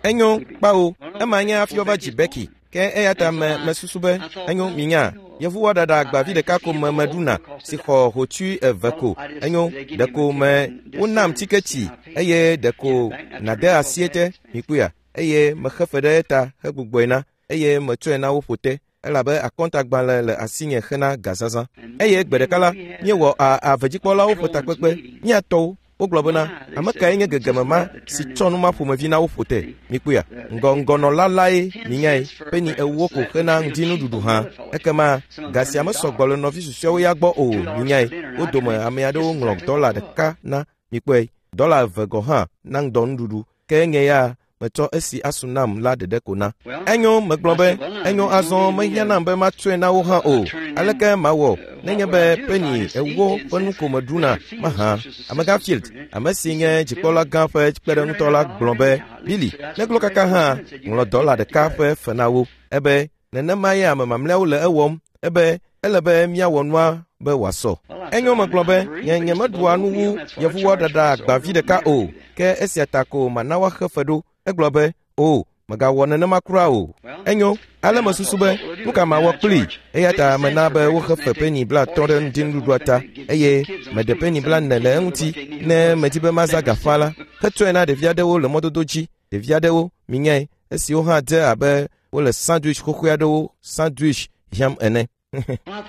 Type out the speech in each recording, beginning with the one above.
Enyo, kpao, ema nye hafi woava dzi Becky. Ke eya ta me mesusu be enyo minya yevuwɔ ɖaɖa agbavi ɖeka ko me meɖuna si xɔ hotsui eve ko. Enyo, ɖeko me wonam tiketi eye ɖeko nàde asi ete, mikpɔea, eye mexe fe ɖe eta hegbugbɔe na eye metsɔe na wo ƒo te elabe akɔntagbalẽ le asinye hena gazazã. Eye gbe ɖeka la, míewɔ a avedzikpɔlawo ƒe takpekpe, mía tɔwo, wogblɔ bena, ame kae nye gegeme ma si tsɔ nu ma ƒomevi na wo ƒo te? Mikpɔea, ŋgɔ ŋgɔnɔla lae minyae, peni ewo ko hena ŋdinuɖuɖu hã. Ekema ga sia mesɔ gbɔ le nɔvi susɔeawo ya gbɔ o, minyae. Wo dome ame aɖewo ŋlɔ dɔla ɖeka na, mikpɔe, dɔla eve gɔ̃ hã na ŋdɔnuɖuɖu. Ke nye ya metsɔ esi asu nam la ɖeɖe ko na. Enyo, megblɔ be, enyo azɔ mehiã nam be matsɔe na wo hã o. Aleke mawɔ nenye be peni ewo ƒe nu ko meɖuna mahã? Amegã Field, ame si nye dzikpɔla gã ƒe kpeɖeŋutɔ la gblɔ be, Billy, neglo kaka hã, ŋlɔ dɔla ɖeka ƒe fe na wo. Ebe, nenema ye ame mamlɛawo le ewɔm. Ebe, ele be míawɔ nua be wòasɔ. Enyo megblɔ be, nye nyemeɖua nu wu yevuwɔ ɖaɖa agbavi ɖeka o, ke esia ta ko mana woaxe fe ɖo. Egblɔ be, o, mègawɔ nenema kura o. Enyo, ale mesusu be, nu ka mawɔ kplii? Eya ta mena be woxe fe peni 50 ɖe ŋdinuɖuɖua ta, eye meɖe peni 40 le eŋuti ne medi be mazã ga faa la, hetsɔe na ɖevi aɖewo le mɔdodo dzi. Ɖevi aɖewo, minyae, esiwo hã dze abe wole sandwich xoxoe aɖewo sandwich hiãm ene.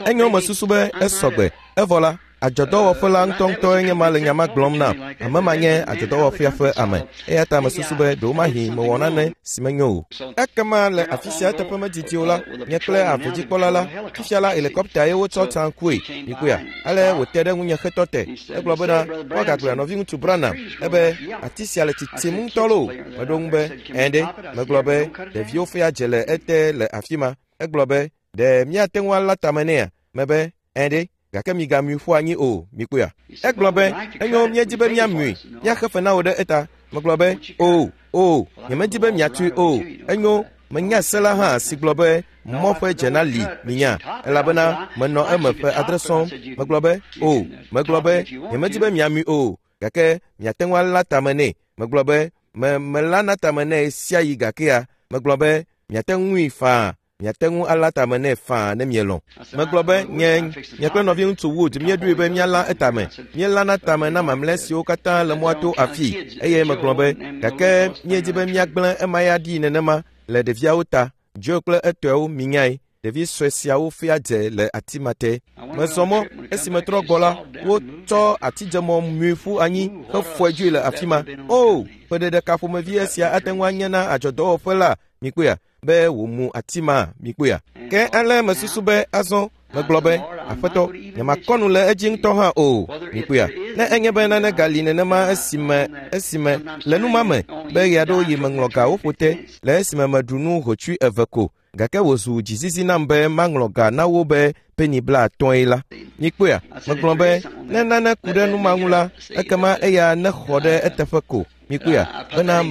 Enyo mesusu be esɔgbe. Evɔ la, adzɔdɔwɔƒe la ŋutɔŋutɔe nye ma le nya ma gblɔm nam. Ame ma nye adzɔdɔwɔƒea ƒe ame. Eya ta mesusu be ɖewomahi mewɔ nane si menyo o. Ekema le afi sia eteƒe medidi o la, nye kple avedzikpɔla la, fifia la helikɔpta ye wotsɔ tsa ŋkue. Mikpɔea? Ale wòte ɖe ŋunye hetɔ te. Egblɔ bena, woagagblɔe nɔviŋutsu Branham, ebe ati sia le tsitsim ŋutɔ loo. Meɖo ŋu be, ɛ̃ ɖe. Megblɔ be, ɖeviwo fia dze le ete le afi ma. Egblɔ be, ɖe míate ŋu alã tame nɛa? Mebe, ɛ̃ ɖe, gake migamui ƒu anyi o, mikpɔea? Egblɔ be, enyo, míedi be míamui, míaxe fe na wò ɖe eta. Megblɔ be, o, o, nyemedi be miatui o. Enyo, menya se la hã si gblɔ be mɔ ƒe dze na li, minya, elabena menɔ eme ƒe 7 sɔŋ. Megblɔ be, o, megblɔ be, nyemedi be miamui o, gake miate ŋu alã tame nɛ. Megblɔ be, me melãna tame nɛ ɣesiaɣi gakea, megblɔ be, miate ŋui faa, miate ŋu alã tame nɛ faa ne mielɔ̃. Megblɔ be, nye, nye kple nɔviŋutsu Wood míeɖoe be míalã etame. Míelãna tame na mamlɛ siwo katã le mɔa to afii, eye megblɔ be, gake míedi be míagblẽ ema ya ɖi nenema le ɖeviawo ta. Joe kple etɔewo, minyae, ɖevi sue siawo fia dze le ati ma te. Mezɔ mɔ, esi metrɔ gbɔ la, wotsɔ atidzemɔ mui ƒu anyi hefɔe dzoe le afi ma. O, ƒe ɖeɖeka ƒomevi esia ate ŋu anye na adzɔdɔwɔƒe la, mikpɔea, be wòmu ati ma, mikpɔea. Ke ale mesusu be azɔ megblɔ be, Aƒetɔ, nyemakɔ nu le edzi ŋutɔ hã o, mikpɔea. Ne enye be nane gali nenema esime, esime, le nu ma me, be ɣeaɖewoɣi meŋlɔ ga woƒo te, le esime meɖu nu hotsui eve ko, gake wòzu dzizizi nam be maŋlɔ ga na wo be peni 50 la. Mikpɔea, megblɔ be, ne nane ku ɖe nu ma ŋu la, ekema eya nexɔ ɖe eteƒe ko. Mikpɔea, bena,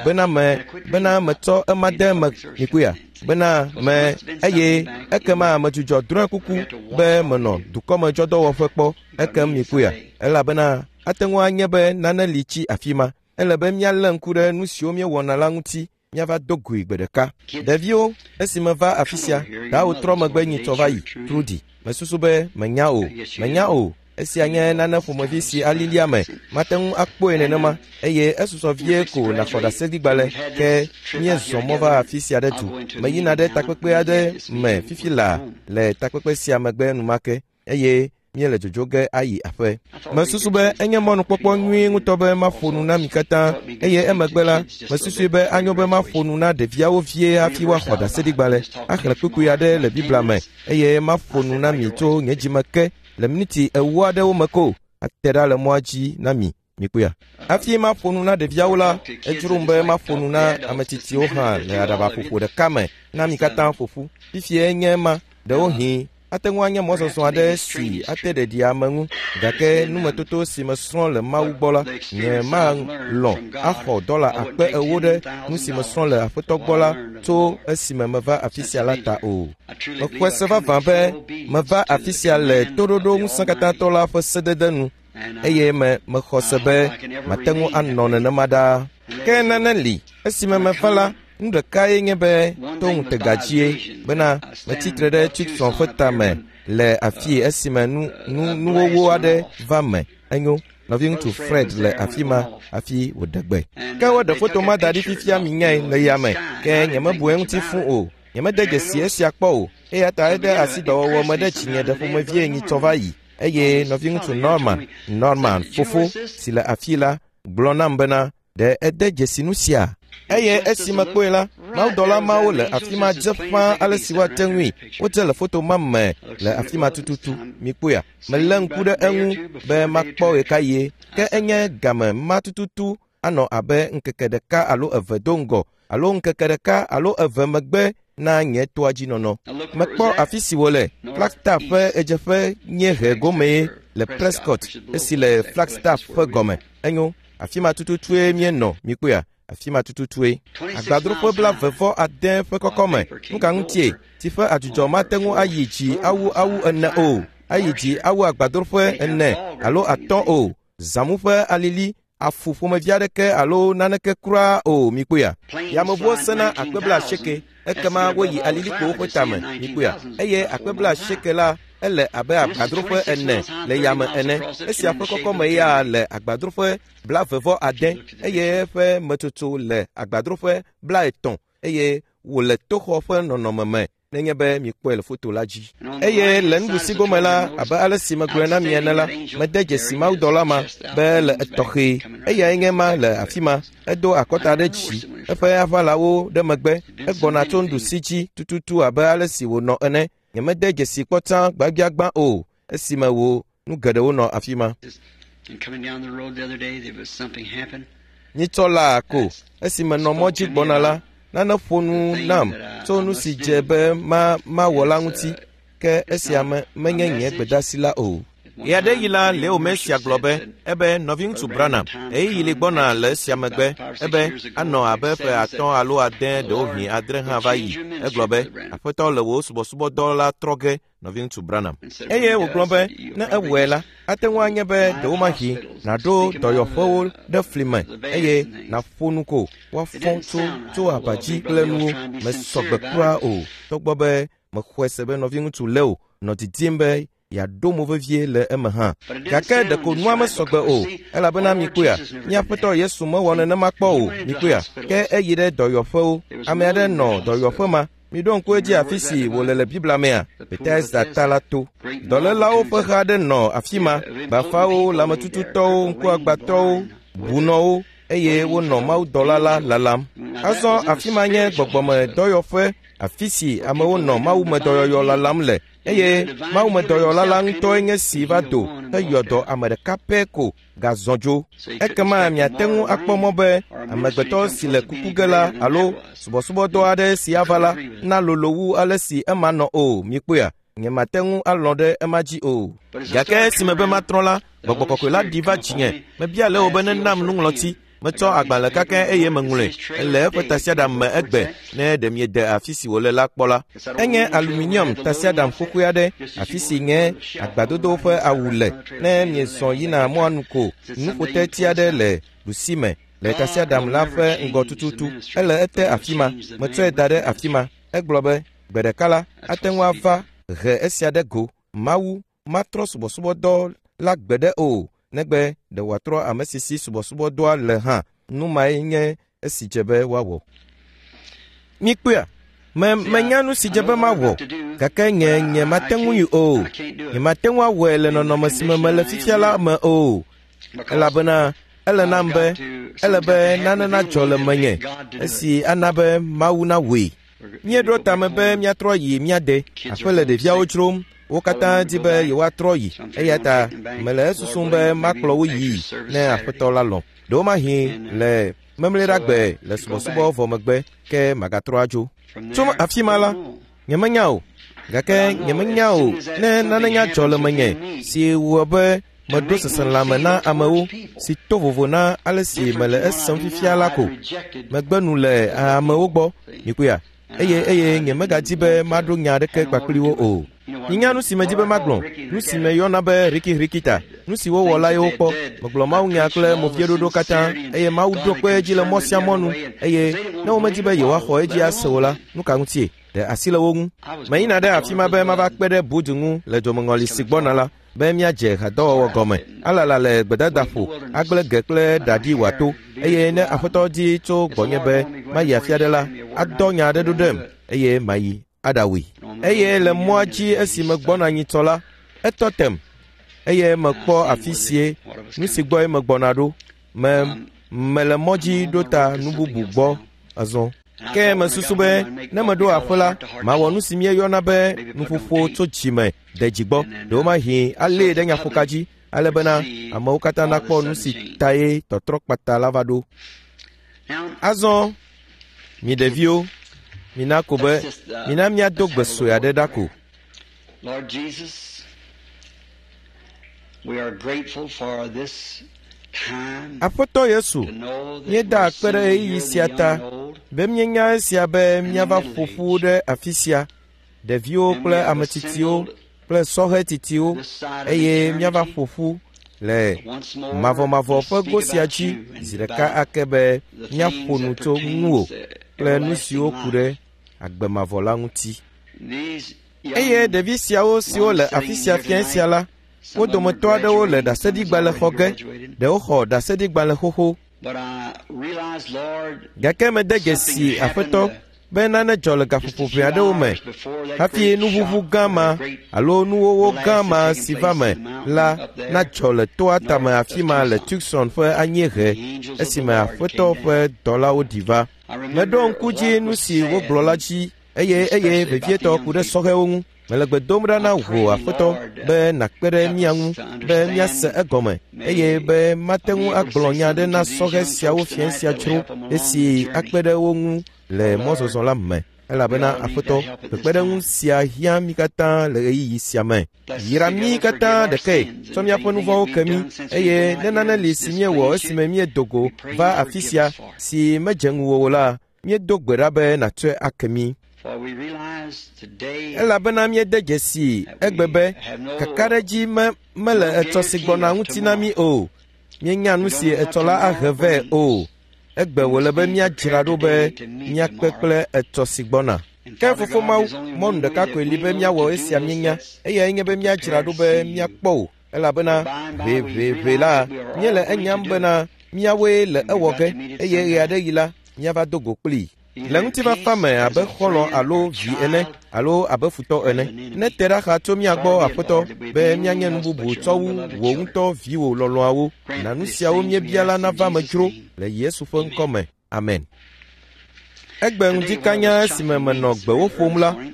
bena me, bena metsɔ ema de eme. Mikpɔea, bena me, eye ekema medzudzɔ drɔ̃e kuku be menɔ dukɔmedzɔdɔwɔƒe kpɔ. Ekem mikpɔea, elabena ate ŋu anye be nane li tsi afi ma. Ele be míalé ŋku ɖe nu siwo míewɔna la ŋuti míava do goe gbe ɖeka. Ɖeviwo, esi meva afi sia, dawò trɔ megbe nyitsɔ va yi, Trudy. Mesusu be menya o, menya o. Esia nye nane ƒomevi si alili ame. Mate ŋu akpɔe nenema, eye esusɔ vie ko nàxɔ ɖaseɖigbalẽ. Ke míezɔ mɔ va afi sia ɖe du. Meyina ɖe takpekpe aɖe me fifi laa le takpekpe sia megbe enumake, eye míele dzodzo ge ayi aƒe. Mesusu be enye mɔnukpɔkpɔ nyui ŋutɔ be maƒo nu na mi katã, eye emegbe la, mesusui be anyo be maƒo nu na ɖeviawo vie hafi woaxɔ ɖaseɖigbalẽ, axlẽ kpukpui aɖe le Biblia me, eye maƒo nu na mi tso nye dzime ke le miniti 40 aɖewo me ko, ate ɖa le mɔa dzi na mi. Mikpɔea? Hafi maƒo nu na ɖeviawo la, edzrom be maƒo nu na ame tsitsiwo hã le aɖabaƒoƒo ɖeka me na mi katã ƒo ƒu. Fifiae nye ema, ɖewohĩ ate ŋu anye mɔzɔzɔ aɖe si ate ɖeɖi ame ŋu, gake numetoto si mesrɔ̃ le Mawu gbɔ la, nye malɔ̃ axɔ dɔla 40,000 ɖe nu si mesrɔ̃ le Aƒetɔ gbɔ la tso esime meva afi sia la ta o. Mexɔe se vavã be meva afi sia le toɖoɖo ŋusẽkatãtɔ la ƒe sedede nu. eye me mexɔ se be mate ŋu anɔ nenema ɖaa. Ke nane li, esime meva la, nu ɖekae nye be to ŋutega dzie bena metsi tre ɖe Tucson ƒe tame le afii esime nu nu nuwɔwɔ aɖe va me. Enyo, nɔviŋutsu Fred le afi ma hafi wòɖe gbe. Ke woɖe foto ma da ɖi fifia minyae le yame, ke nyemebu eŋuti fũ o. Nyemede dzesi esia kpɔ o, eya ta ede asi dɔwɔwɔ me ɖe dzinye ɖe ƒomevie nyitsɔ va yi. Eye nɔviŋutsu Norman, Norman fofo si le afii la, gblɔ nam bena, ɖe ede dzesi nu sia? Eye esi mekpɔe la, mawudɔla mawo le afi ma dze ƒãa ale si woate ŋui. Wodze le foto ma me le afi ma tututu. Mikpɔea? Melé ŋku ɖe eŋu be makpɔ ɣekaɣie, ke enye game ma tututu anɔ abe ŋkeke ɖeka alo eve do ŋgɔ alo ŋkeke ɖeka alo eve megbe na nye toa dzi nɔnɔ. Mekpɔ afi si wòle, Flagstaff ƒe ɣedzeƒe nyiehe gomee le Prescott, esi le Flagstaff ƒe gɔme. Enyo, afi ma tututue míenɔ, mikpɔea? Afi ma tututue. Agbadroƒe 26 ƒe kɔkɔme. Nu ka ŋutie? Tsi ƒe adzudzɔ mate ŋu ayi dzi awu awu ene o, ayi dzi awu agbadroƒe ene alo atɔ̃ o. Zãmu ƒe alili, afu ƒomevi aɖeke alo naneke kura o, mikpɔea? Yameʋuwo sena akpe 80, ekema woyi alilikpowo ƒe tame, mikpɔea? Eye akpe 80 la ele abe agbadroƒe ene le yame ene. Esia ƒe kɔkɔme ya le agbadroƒe 26 eye eƒe metsotso le agbadroƒe 30 eye wòle toxɔ ƒe nɔnɔme me nenye be mikpɔe le foto la dzi. Eye le nuɖusi gome la, abe ale si megblɔe na mi ene la, mede dzesi mawudɔla ma be le etɔxɛ. Eyae nye ma le afi ma. Edo akɔta ɖe dzi, eƒe aʋalawo ɖe megbe. Egbɔna tso nuɖusi dzi tututu abe ale si wònɔ ene. Nyemede dzesi kpɔ tsã gbagbiagbã o esime wò nu geɖewo nɔ afi ma. And coming down the road the other day, there was something happened. Nyitsɔ laa ko esime nɔ mɔ dzi gbɔna la, nane ƒo nu nam tso nu si dze be ma mawɔ la ŋuti, ke esia me menye nye gbedasi la o. Ɣeaɖeɣi la, Leo Mercier gblɔ be, ebe nɔviŋutsu Branham, ɣeyiɣi li gbɔna le esia megbe, ebe anɔ abe ƒe 5 alo 6 ɖewohĩ 7 hã va yi. Egblɔ be, Aƒetɔ le wò subɔsubɔdɔ la trɔ ge, nɔviŋutsu Branham. Eye wògblɔ be, ne ewɔe la, ate ŋu anye be ɖewomahi nàɖo dɔyɔƒewo ɖe fli me eye nàƒo nu ko woafɔ tso tso aba dzi kple nuwo. Mesɔ gbe kura o, togbɔ be mexɔe se be nɔviŋutsu Leo nɔ didim be yeaɖo mo vevie le eme hã. Gake ɖeko nua mesɔ gbe o, elabena mikpɔea, mía Aƒetɔ Yesu mewɔ nenema kpɔ o, mikpɔea, ke eyi ɖe dɔyɔƒewo. Ame aɖe nɔ dɔyɔƒe ma. Miɖo ŋku edzi afi si wòle le Biblia mea, Bethesda ta la to. Dɔlélawo ƒe ha aɖe nɔ afi ma, bafawo, lãmetututɔwo, ŋkuagbãtɔwo, bunɔwo, eye wonɔ mawudɔla la lalam. Azɔ afi ma nye gbɔgbɔmedɔyɔƒe, afi si amewo nɔ mawumedɔyɔyɔ lalam le, eye mawumedɔyɔla la ŋutɔe nye si va do heyɔ dɔ ame ɖeka pɛ ko gazɔ dzo. Ekema miate ŋu akpɔ mɔ be amegbetɔ si le kuku ge la alo subɔsubɔdɔ aɖe si ava la nalolo wu ale si ema nɔ o, mikpɔea? Nyemate ŋu alɔ̃ ɖe ema dzi o. Gake esime be matrɔ la, Gbɔgbɔ Kɔkɔe la ɖi va dzinye. Mebia Leo be nenam nuŋlɔti. Metsɔ agbalẽ kakɛ eye meŋlɔe. Ele eƒe tasiaɖam me egbe, ne ɖe miede afi si wòle la kpɔ la. Enye aluminium tasiaɖam xoxoe aɖe, afi si nye agbadodo ƒe awu le. Ne miezɔ yina mɔa nu ko, nuƒoteti aɖe le ɖusime le tasiaɖam la ƒe ŋgɔ tututu. Ele ete afi ma. Metsɔe da ɖe afi ma. Egblɔ be, gbe ɖeka la, ate ŋu ava he esia ɖe go. Mawu matrɔ subɔsubɔdɔ la gbeɖe o, negbe ɖe wòatrɔ ame si si subɔsubɔdɔa le hã. Nu mae nye esi dze be woawɔ. Mikpɔea? Me menya nu si dze be mawɔ, gake nye nye mate ŋui o. Nyemate ŋu awɔe le nɔnɔme si me mele fifia la me o, elabena ele nam be ele be nane nadzɔ le menye esi ana be Mawu nawɔe. Míeɖo tame be míatrɔ yi mía de. Aƒe le ɖeviawo dzrom. Wo katã di be yewoatrɔ yi, eya ta mele esusum be makplɔ wo yii ne Aƒetɔ la lɔ̃. Ɖewomahi le memleɖagbe le subɔsubɔ vɔ megbe ke magatrɔ adzo. Tso afi ma la, nyemenya o, gake nyemenya o ne nane nya dzɔ le menye si wɔ be meɖo seselãme na amewo si to vovo na ale si mele esem fifia la ko. Megbe nu le amewo gbɔ, mikpɔea, eye eye nyemegadi be maɖo nya aɖeke kpakpli wo o. Minya nu si medi be magblɔ, nu si meyɔna be rikirikita, nu si wowɔ la ye wokpɔ. Megblɔ mawunya kple movieɖoɖo katã, eye Mawu ɖo kpe edzi le mɔ sia mɔ nu, eye ne womedi be yewoaxɔ edzi ase o la, nu ka ŋutie? Ɖe asi le wo ŋu. Meyina ɖe afi ma be mava kpe ɖe Bud ŋu le dzomeŋɔli si gbɔna la, be míadze hadɔwɔwɔ gɔme, alala le gbedadaƒo, agblẽ ge kple ɖaɖi wòato, eye ne Aƒetɔ di tso gbɔnye be mayi afi aɖe la, adɔ nya aɖe ɖo ɖem, eye mayi aɖawui. Eye le mɔa dzi esi megbɔna nyitsɔ la, etɔ tem, eye mekpɔ afi sie nu si gbɔe megbɔna ɖo. Me mele mɔ dzi ɖo ta nu bubu gbɔ azɔ. Ke mesusu be ne meɖo aƒe la, mawɔ nu si míeyɔna be nuƒoƒo tso dzime de dzi gbɔ. Ɖewomahi alée ɖe nyaƒoka dzi ale bena amewo katã nakpɔ nu si tae tɔtrɔ kpata la va ɖo. Azɔ, mi ɖeviwo, mina ko be mina míado gbe sue aɖe ɖa ko. Lord Jesus, we are grateful for this time Aƒetɔ Yesu, to know that míeda we're akpe ɖe assembled ɣeyiɣi here, sia the ta young and old, be míenya esia be míava ƒo ƒu ɖe afi sia, ɖeviwo and kple we have ame tsitsiwo assembled kple sɔhɛ tsitsiwo this side of eye míava eternity ƒo ƒu le once more mavɔmavɔ to ƒe speak go sia about dzi you and zi ɖeka about ake be the míaƒo things nu that tso ŋuwò pertains to kple nu everlasting siwo ku ɖe life. agbe mavɔ la ŋuti. These Eye young ɖevi siawo siwo le ones afi sitting sia here fiẽ sia tonight, la, wo some of them are dometɔ aɖewo le graduating, some has ɖaseɖigbalẽ already xɔ ge, graduated. ɖewo xɔ ɖaseɖigbalẽ xoxo. But I realized, Lord, Gake mede something dzesi happened Aƒetɔ be nane dzɔ le just a gaƒoƒo few ʋɛ aɖewo me hours before that hafi great nuʋuʋu shock gã or ma that great alo nuwɔwɔ gã blast ma had taken si va place in me the mountain la up there nadzɔ le toa tame north afi of ma le Tucson. Tucson ƒe anyiehe The angels of the esime Lord Aƒetɔ came ƒe down. dɔlawo ɖi va. I Meɖo remember ŋku dzi what nu was si said, wogblɔ la dzi eye eye especially about the vevietɔ young ku ɖe people. sɔhɛwo ŋu. Mele gbe dom ɖa na I wò pray, Aƒetɔ Lord, be nàkpe ɖe help mía us ŋu to be míase understand. egɔme eye May be mate I be ŋu able to agblɔ say nya aɖe something na to these sɔhɛ young siawo folks fiẽ tonight sia that will dzro help them along the esi journey. akpe ɖe wo ŋu le Oh, Lord, mɔzɔzɔ la me. we Elabena all need Aƒetɔ, that help at this kpekpeɖeŋu time. sia hiã mí katã le ɣeyiɣi sia me. Bless us Yra mí together, forgive katã our ɖekae, sins, tsɔ and if míaƒe nu anything that vɔ̃wo we've ke mí done since we've eye been ne out here nane li that's si míewɔ displeased you, esime míedo go we pray va you afi forgive sia us for it. si medze ŋuwò o la, míedo gbe ɖa be nàtsɔe ake mí. For we realize today Elabena míede dzesii that egbe we be have no kakaɖedzi me mele no etsɔ si guarantee gbɔna of ŋuti na mí tomorrow. o. Míenya nu We si don't know what etsɔ la ahe tomorrow vɛ o. brings. Egbe We wòle must be be míadzra prepared ɖo be today to meet míakpe tomorrow. kple etsɔ si gbɔna. And Ke Father Fofo God, Mawu, there's only mɔnu one way ɖeka that koe li we be know míawɔ to do esia this, míenya, that's eyae nye be to míadzra prepare ɖo to be see you. míakpɔ wò, elabena For by and by we ʋeʋeʋe realize la, that we are míele all going to enyam do it, bena míawoe le and we've ewɔ got ge to meet it eye sometime. ɣeaɖeɣi la, míava do go kplii. Le Either in ŋutifafa peace, me as abe a xɔlɔ̃ friend alo or vi ene child, alo abe futɔ or as ene. an Ne enemy. te ɖa xa tso mía gbɔ Far be it, Aƒetɔ Lord, that we be be míanye no nu one else bubu but your tsɔ own wu beloved wò children. ŋutɔ viwò lɔlɔ̃awo. Grant Na nu these siawo things we míebia la ask in nava me Jesus' dzro name. le Yesu ƒe ŋkɔ Amen. me. Amen. Egbe Today, ŋdi while I kanya was esime chopping menɔ meats gbewo earlier ƒom this la, morning,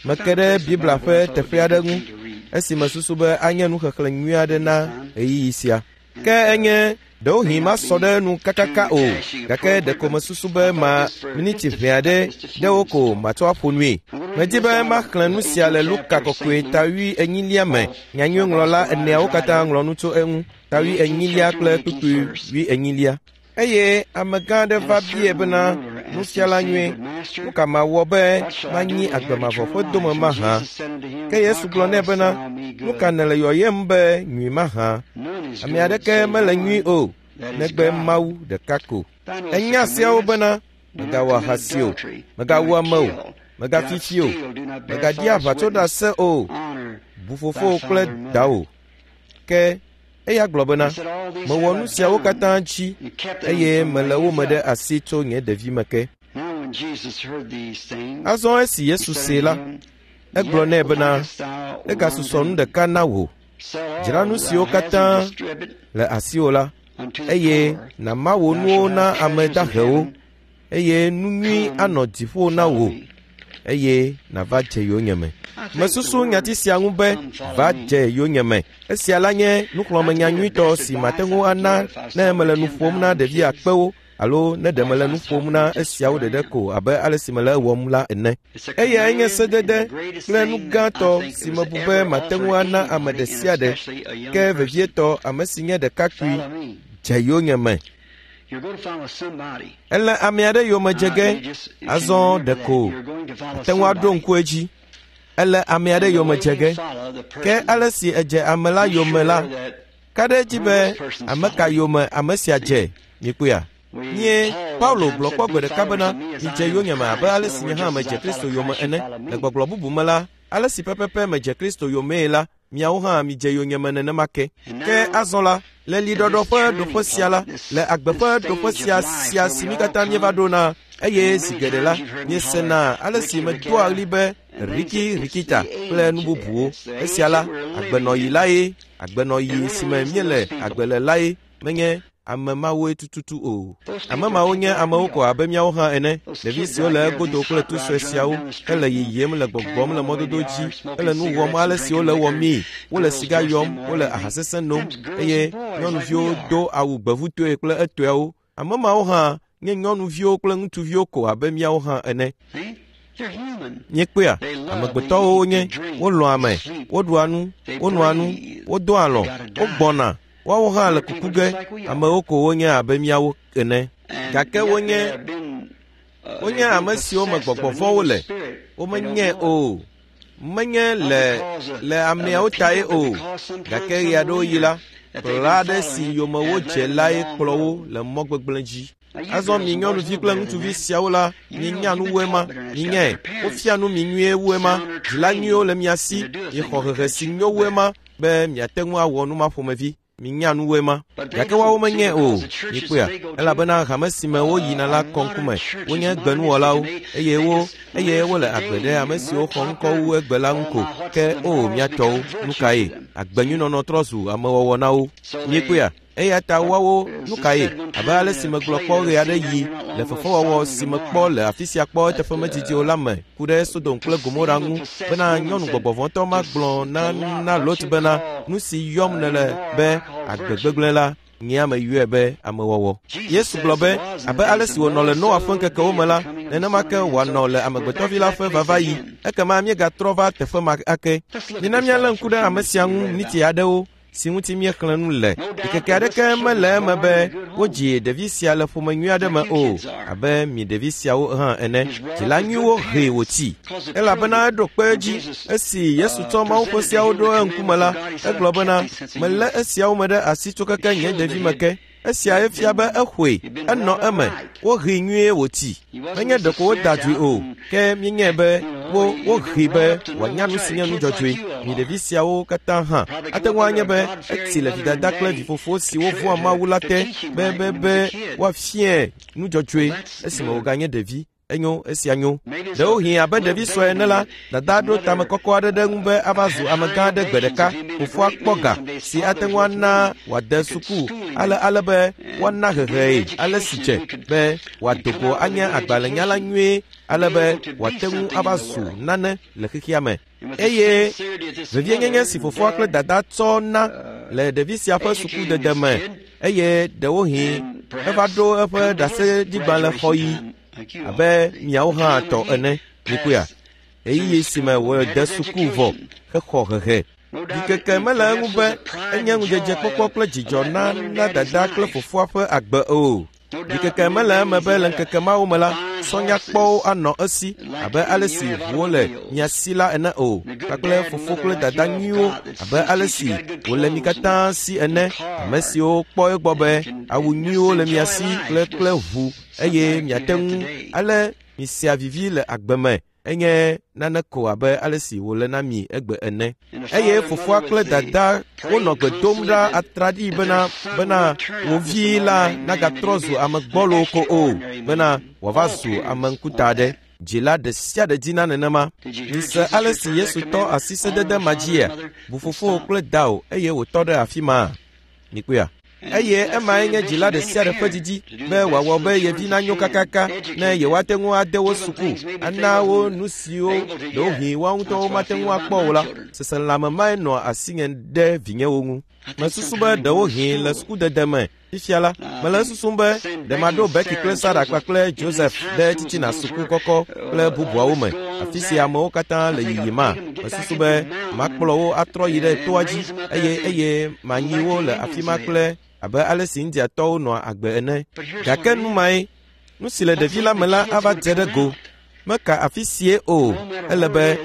I meke found a ɖe place in the Biblia Bible ƒe I thought would be teƒe a aɖe good ŋu thing to read esi mesusu be anye nuxexlẽ nyui aɖe at na this time. ɣeyiɣi sia. And Ke it enye ɖewohĩ may not masɔ ɖe be enu kakaka too o, dashing gake appropriate, ɖeko but mesusu I be thought ma just for miniti just ʋɛ a, aɖe just a few ɖewo minutes ko to talk. matsɔ aƒo nui. I'm going to read Medi this be out of maxlẽ the nu sia 18th le Luka chapter of kɔkɔe St. ta Luke. wui enyilia me. All my Nyanyuiŋlɔla gospel eneawo writers write katã of it. ŋlɔ nu tso eŋu. Ta The wui 18th enyilia chapter kple and the 18th kpukpui verse. wui enyilia. Eye amegã aɖe And va a biae certain bena, ruler asked him, Nufiala saying, nyui, Good master, nu ka mawɔ be what shall I do manyi to agbe inherit mavɔ eternal ƒe dome life? And mahã? Jesus said unto him, Ke Yesu Why gblɔ nɛ callest bena, thou me Nu ka good? nèle yɔyem be nyui mahã? None is Ame good aɖeke save mele nyui one, o, that is negbe God. Mawu ɖeka ko. Thou knowest the Enya siawo commandments. bena, Do not mègawɔ commit ahasi o, adultery, do mègawu not ame o, kill, do not mègafi fi o, steal, do not bear mègaɖi false witness, aʋatsoɖase o, honor bu thy fofowò kple father and mother. dawò. Ke eya gblɔ bena, He said, All these mewɔ have nu I siawo done katã dzi and kept them eye from my mele wo youth me ɖe up. asi tso nye ɖevime ke. Now when Jesus heard these things, Azɔ esi he Yesu said see unto la, him, egblɔ Yet nɛ bena, lackest thou one egasusɔ nu thing. ɖeka na wò. Sell Dzra all nu thou siwo hast and katã distribute le asiwò la, unto the eye poor. nàma wò Thou nuwo shalt na have ame treasures in dahewo, heaven. eye nu nyui Come, anɔ dziƒo na follow wò, me. eye nàva dze yonyeme. I think the Mesusu nyati word sia ŋu be come follow va me. dze yonyeme. Esia la nye That's nuxlɔ̃amenya be the nyuitɔ best si mate advice ŋu I could ana give if I was ne talking mele to nu ƒom na 10,000 ɖevi kids akpewo alo ne ɖe or if mele I nu was ƒom talking na to just esiawo where I ɖeɖe am. ko abe ale si mele ewɔm la ene. It's a Eyae nye command and the sedede greatest kple nu thing that I gãtɔ think si that was mebu be ever mate ŋu offered ana ame anybody, ɖe and sia ɖe, especially a young ke person. vevietɔ ame si nye ɖekakpui Follow me. dze yonyeme. You're going to follow somebody. Ele ame aɖe yome dze ge, You just can azɔ remember that. ɖeko You're going to follow ate ŋu aɖo somebody. ŋku edzi. Ele ame aɖe yome dze ge. Ke ale si edze ame la yome la, ka ɖe edzi be ame ka yome ame sia dze? Mikpɔea? Nye Paulo gblɔ kpɔ gbe ɖeka bena, midze yonyeme abe ale si nye hã medze Kristo yome ene. Le gbɔgblɔ bubu me la, ale si pɛpɛpɛ medze Kristo yomee la, miawo hã midze yonyeme nenema ke. Ke azɔ la, le liɖɔɖɔ ƒe ɖoƒe sia la, le agbe ƒe ɖoƒe sia sia si mí katã míeva ɖona, eye zi geɖe la, miesena ale si medoa ɣli be riki rikita kple nu bubuwo. Esia la, agbenɔɣi lae, agbenɔɣi si me míele agbe le lae menye ame mawoe tututu o. Ame mawo nye amewo ko abe míawo hã ene, ɖevi siwo le egodo kple tu sue siawo hele yiyim le gbɔgbɔm le mɔdodo dzi hele nu wɔm ale si wole wɔmii. Wole siga yɔm, wole aha sesẽ nom eye nyɔnuviwo do awu gbevutoe kple etɔewo. Ame mawo hã nye nyɔnuviwo kple ŋutsuviwo ko abe míawo hã ene. Míekpɔea, amegbetɔwo wonye, wolɔ̃a ame, woɖua nu, wonoa nu, wodoa alɔ, wogbɔna, woawo hã le kuku ge, amewo ko wonye abe míawo ene. Gake wonye wonye ame siwo me gbɔgbɔ vɔ̃wo le, womenyae o. Menye le le ameawo tae o, gake ɣe aɖewo ɣi la, kplɔla aɖe si yome wodze lae kplɔ wo le mɔ gbegblẽ dzi. Azɔ mi nyɔnuvi kple ŋutsuvi siawo la, mienya nu wu ema, minyae, wofia nu mi nyuie wu ema, dzila nyuiwo le mia si, miexɔ hehe si nyo wu ema be miate ŋu awɔ nu ma ƒomevi. Minya nu wu ema. Gake woawo menyae o. Mikpɔea? Elabena hame si me woyina la kɔ ŋkume. Wonye gbenuwɔlawo eye wo eye wole agbe ɖe ame siwo xɔ ŋkɔ wu egbe la ŋu ko. Ke o mía tɔwo, nu kae? Agbenyuinɔnɔ trɔ zu amewɔwɔ na wo. Mikpɔea? Eya ta woawo nu kae? Abe ale si megblɔ kpɔ ɣe aɖe ɣi le fefewɔwɔ si mekpɔ le afi sia kpɔ eteƒe medidi o la me ku ɖe Sodom kple Gomora ŋu bena nyɔnu gbɔgbɔvɔ̃tɔ ma gblɔ na na Lot bena nu si yɔm nèle be agbe gbegblẽ la, nyea meyɔe be amewɔwɔ. Yesu gblɔ be abe ale si wònɔ le Noa ƒe ŋkekewo me la, nenema ke wòanɔ le Amegbetɔvi la ƒe vavaɣi. Ekema míegatrɔ va teƒe ma ake. Mina míalé ŋku ɖe ame sia ŋu miniti aɖewo si ŋuti míexlẽ nu le. Ɖikeke aɖeke mele eme be wodzi ɖevi sia le ƒome nyui aɖe me o, abe mi ɖevi siawo hã ene. Dzila nyuiwo hee wòtsi, elabena eɖo kpe edzi. Esi Yesu tsɔ Mawu ƒe seawo ɖo eŋkume la, egblɔ bena, melé esiawo me ɖe asi tso keke nye ɖevime ke. Esiae fia be exɔe, enɔ eme, wohee nyuie wòtsi. Menye ɖeko woda dzoe o, ke míenyae be wo wohee be wòanya nu si nye nu dzɔdzɔe. Mi ɖevi siawo katã hã, ate ŋu anye be etsi le vidada kple vifofo siwo vɔ̃a Mawu la te be be be woafiae nu dzɔdzɔe esime wòganye ɖevi. Enyo, esia nyo. Ɖewohĩ abe ɖevi sue ene la, dada ɖo tame kɔkɔ aɖe ɖe eŋu be ava zu amegã aɖe gbe ɖeka. Fofoa kpɔ ga si ate ŋu ana wòade suku ale ale be woana hehee ale si dze be wòado go anye agbalẽnyala nyuie ale be wòate ŋu ava zu nane le xexea me. Eye vevienyenye si fofoa kple dada tsɔ na le ɖevi sia ƒe sukudede me eye ɖewohĩ eva ɖo eƒe ɖaseɖigbalẽ xɔɣi abe miawo hã tɔ ene. Mikpɔea? Ɣeyiɣi si me wòde suku vɔ hexɔ hehe. Ɖikeke mele eŋu be enye ŋudzedzekpɔkpɔ kple dzidzɔ na na dada kple fofoa ƒe agbe o. Ɖikeke mele eme be le ŋkeke mawo me la, sɔnyakpɔwo anɔ esi abe ale si ʋuwo le mia si la ene o, kpakple fofo kple dada nyuiwo abe ale si wòle mi katã si ene, ame siwo kpɔ egbɔ be awu nyuiwo le mia si kple kple ʋu eye miate ŋu ale misea vivi le agbe me enye nane ko abe ale si wòle na mi egbe ene. Eye fofoa kple dada wonɔ gbe dom ɖa atraɖii bena bena wo vi la nagatrɔ zu ame gbɔlo ko o, bena wòava zu ame ŋkuta aɖe. Dzila ɖe sia ɖe dina nenema. Mise ale si Yesu tɔ asi sedede ma dzia? Bu fofowò kple dawò eye wòtɔ ɖe afi ma. Mikpɔea? Eye emae nye dzila ɖe sia ɖe ƒe didi be wòawɔ be ye vi nanyo kakaka ne yewoate ŋu ade wo suku, ana wo nu siwo ɖewohĩ woawo ŋutɔwo mate ŋu akpɔ o la. Seselelãme mae nɔa asinye ɖe vinyewo ŋu. Mesusu be ɖewohĩ le sukudede me fifia la, mele esusum be ɖe maɖo Becky kple Sarah kpakple Joseph ɖe titina suku kɔkɔ kple bubuawo me, afi si amewo katã le yiyima. Mesusu be makplɔ wo atrɔ yi ɖe toa dzi eye eye manyi wo le afi ma kple abe ale si Indiatɔwo nɔa agbe ene. Gake nu mae, nu si le ɖevi la me la ava dze ɖe go. Meka afi sie o, ele be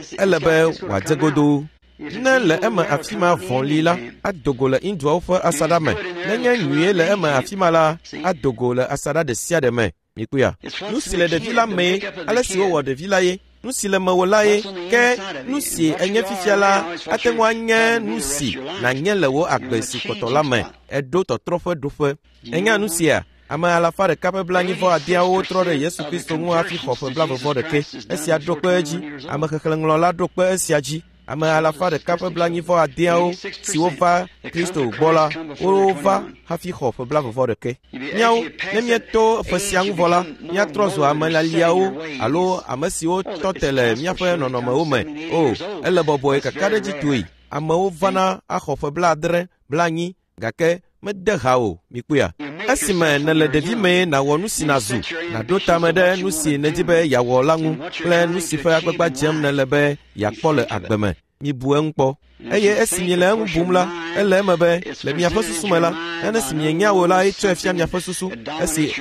wòadze godoo. Ne le eme afi ma vɔ̃ li la, ado go le Hinduawo ƒe asaɖa me. Nenye nyuie le eme afi ma la, ado go le asaɖa ɖe sia ɖe me. Mikpɔea? Nu si le ɖevi la mee, ale si wowɔ ɖevi la ye. Nu si le mewò la ye, ke nu si enye fifia la ate ŋu anye nu si nànye le wò agbe si kpɔtɔ la me. Eɖo tɔtrɔ ƒe ɖoƒe. Ènya nu sia? Ame 190 trɔ ɖe Yesu Kristo ŋu hafi xɔ ƒe 40. Esia ɖo kpe edzi. Ame xexlẽŋlɔla ɖo kpe esia dzi. Ame 190 siwo va Kristo gbɔ la, wova hafi xɔ ƒe 41. Míawo, ne míeto ƒe sia ŋu vɔ la, míatrɔ zu ame laliawo alo ame siwo tɔ te le míaƒe nɔnɔmewo me. O, ele bɔbɔe kakaɖedzitɔe. Amewo vana axɔ ƒe 70, 80, gake mede ha o, mikpɔea? Esime nèle ɖevi mee nàwɔ nu si nàzu, nàɖo tame ɖe nu si nèdi be yeawɔ la ŋu kple nu si ƒe agbagba dzem nèle be yeakpɔ le agbe me. Mibu eŋu kpɔ. Eye esi miele eŋu bum la, ele eme be le miaƒe susu me la, nane si mienya o la etsɔe fia miaƒe susu, esi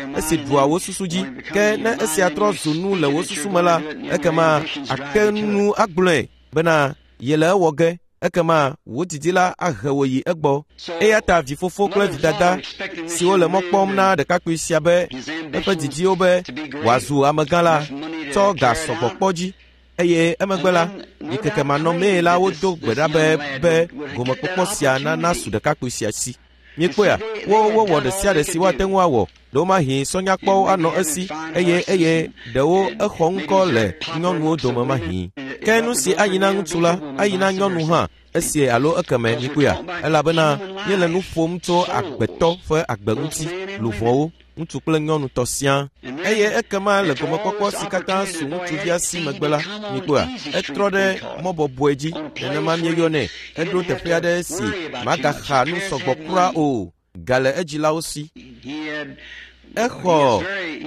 ɖua wò susu dzi. Ke ne esia trɔ zu nu le wò susu me la, ekema ate nu agblɔe bena yele ewɔ ge. Ekema wò didi la ahe wò yi egbɔ. Eya ta vifofo kple vidada siwo le mɔ kpɔm na ɖekakpui sia be eƒe didiwo be wòazu amegã la tsɔ ga sɔgbɔ kpɔ dzi. Eye emegbe la, ɖikeke manɔmee la wodo gbe ɖa be gomekpɔkpɔ sia nana su ɖekakpui sia si. Miekpɔea? Wowɔ ɖe sia ɖe si woate ŋu awɔ. Ɖewomahi sɔnyakpɔwo anɔ esi eye ɖewo exɔ ŋkɔ le nyɔnuwo dome mahi. Ke nu si ayi na ŋutsu la, ayi na nyɔnu hã, esie alo ekeme mikpɔea? Elabena míele nu ƒom tso agbetɔ ƒe agbe ŋuti, luʋɔwo, ŋutsu kple nyɔnu tɔ siaa. Eye ekema le gomekpɔkpɔ si katã su ŋutsuvia si megbe la, mikpɔea? Etrɔ ɖe mɔ bɔbɔe dzi, nenema míeyɔnɛ. Eɖo teƒe aɖe si magaxa nu sɔgbɔ kura o, ga le edzilawo si. Exɔ,